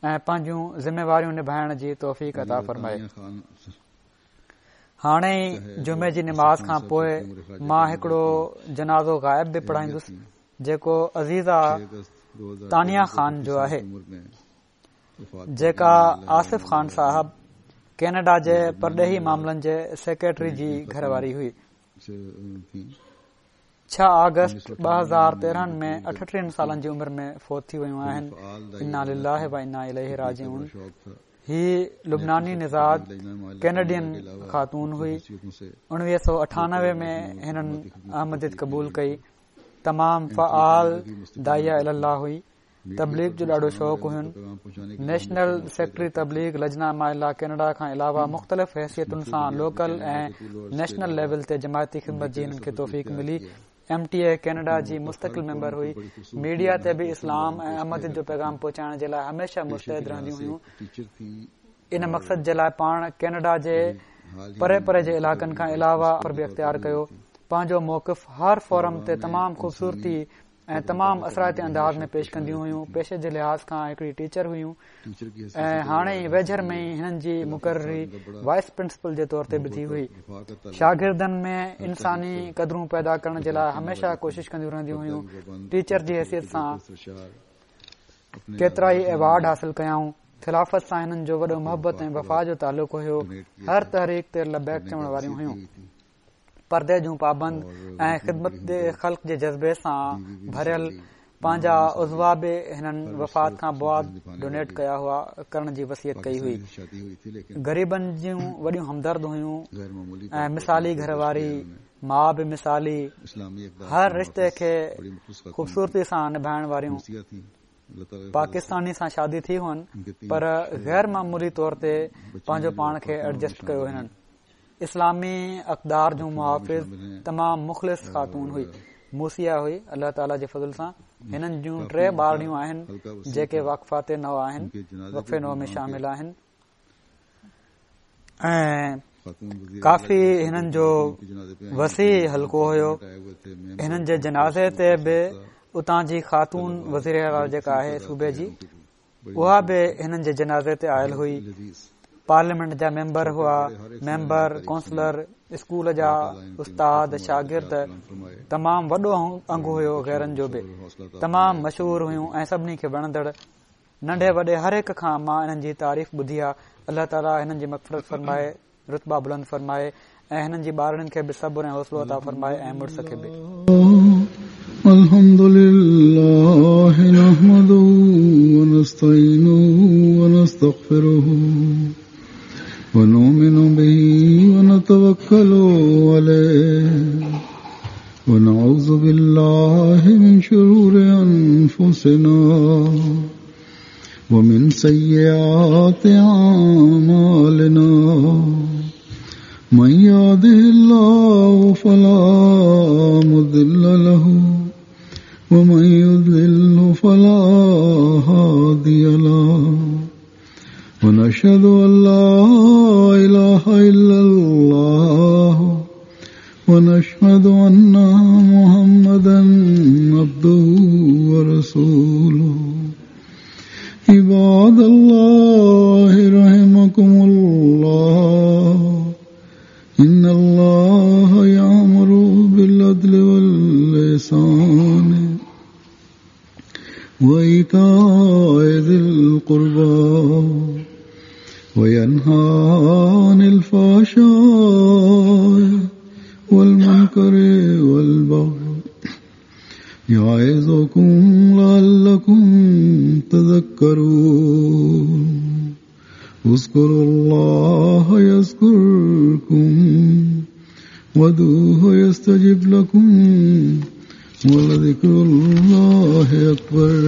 ۽ پنهنجون ذميواريون نڀائڻ جي توفيق عطا فرمائي. هاڻي ئي جمعي جي نماز کان پوء مان هڪڙو جنازو غائب به پڙهائيندس جيڪو عزيزه تانيا خان جو آهي. جيڪا آصف خان صاحب ڪينيڊا جي پرڏيهي معاملن جي سيڪريٽري جي گهر واري هئي. 6 آگسٽ 2013 ۾ 38 سالن جي عمر ۾ فوت ٿي ويون آهن. انا لله و انا اليه راجعون. هي لبناني نژاد ڪينيڊين خاتون هئي. 1998 ۾ هنن احمديت قبول ڪئي. تمام فعال داعيه الي الله هئي. تبليغ جو ڏاڍو شوق هين. نيشنل سيڪريٽري تبليغ لجنه اماء الله ڪينيڊا کان علاوه مختلف حيثيتن سان لوڪل ۽ نيشنل ليول تي جماعتي خدمت جي هنن کي توفيق ملي. ايم ٽي اي ڪينيڊا جي مستقل ميمبر هئي. ميڊيا تي به اسلام ۽ احمديت جو پيغام پهچائڻ جي لاء هميشه مستعد رهنديون هيون. ان مقصد جي لاء پاڻ ڪينيڊا جي پري پري جي علائقن کان علاوه به اختيار ڪيو. پنهنجو موقف هر فورم تي تمام خوبصورتي ۽ تمام اثرائتي انداز ۾ پيش ڪنديون هيون پيشي جي لحاظ کان هڪڙي ٽيچر هيون ۽ هاڻي ئي ويجهر ۾ ئي هنن جي مقرري وائيس پرنسپل جي طور تي به ٿي هئي شاگردن ۾ انساني قدرون پيدا ڪرڻ جي لاء هميشه ڪوشش ڪنديون رهنديون هيون ٽيچر جي حيثيت سان ڪيترائي ايوارڊ حاصل ڪيائون خلافت سان هنن جو وڏو محبت ۽ وفا جو تعلق هيو هر تحريڪ تي لبيڪ چوڻ واريون هيون پردي جون پابند ۽ خدمت خلق جي جذبي سان ڀريل پنهنجا عضوا به هنن وفات کان بعد ڊونيٽ ڪيا هئا ڪرڻ جي وصيت ڪئي هئي غريبن جون وڏيون همدرد هيون ۽ مثالي گهر واري ماء به مثالي هر رشتي کي خوبصورتي سان نڀائڻ واريون پاڪستاني سان شادي ٿي هئن پر غير معمولي طور تي پنهنجو پاڻ کي ايڊجسٽ ڪيو هنن اسلامي اقدار جون محافظ تمام مخلص خاتون هئي. موصيه هئي الله تعالي جي فضل سان هنن جون ٽي ٻارڙيون آهن جيڪي واقفات نو آهن وقف نو ۾ شامل آهن ۽ ڪافي هنن جو وسيع حلقو هيو هنن جي جنازي تي به اتان جي خاتون وزير اعليٰ جيڪا آهي صوبي جي اها به هنن جي جنازي تي آيل هئي پارليامينٽ جا ميمبر هئا ميمبر ڪونسلر اسڪول جا استاد شاگرد تمام وڏو انگ هيو غيرن جو به تمام مشهور هيون ۽ سڀني کي وڻندڙ ننڍي وڏي هر هڪ کان مان انهن جي تعريف ٻڌي آ الله تعالي هنن جي مغفرت فرمائي رتبا بلند فرمائي ۽ هنن جي ٻارڙين کي به صبر ۽ حوصلو عطا فرمائي ۽ مڙس کي به. الحمد لله نحمده ونستعينه ونستغفره ونؤمن به ونتوكل عليه ونعوذ بالله من شرور أنفسنا ومن سيئات أعمالنا من يهده الله فلا مضل له ومن يضلل فلا هادي له ونشهد أن لا إله إلا الله ونشهد أن محمدا عبده ورسوله عباد الله رحمكم الله إن الله يأمر بالعدل والإحسان وإيتاء ذي القربى وينهى عن الفحشاء والمنكر والبغي يعظكم لعلكم تذكرون اذكروا الله يذكركم وادعوه يستجب لكم ولذكر الله أكبر.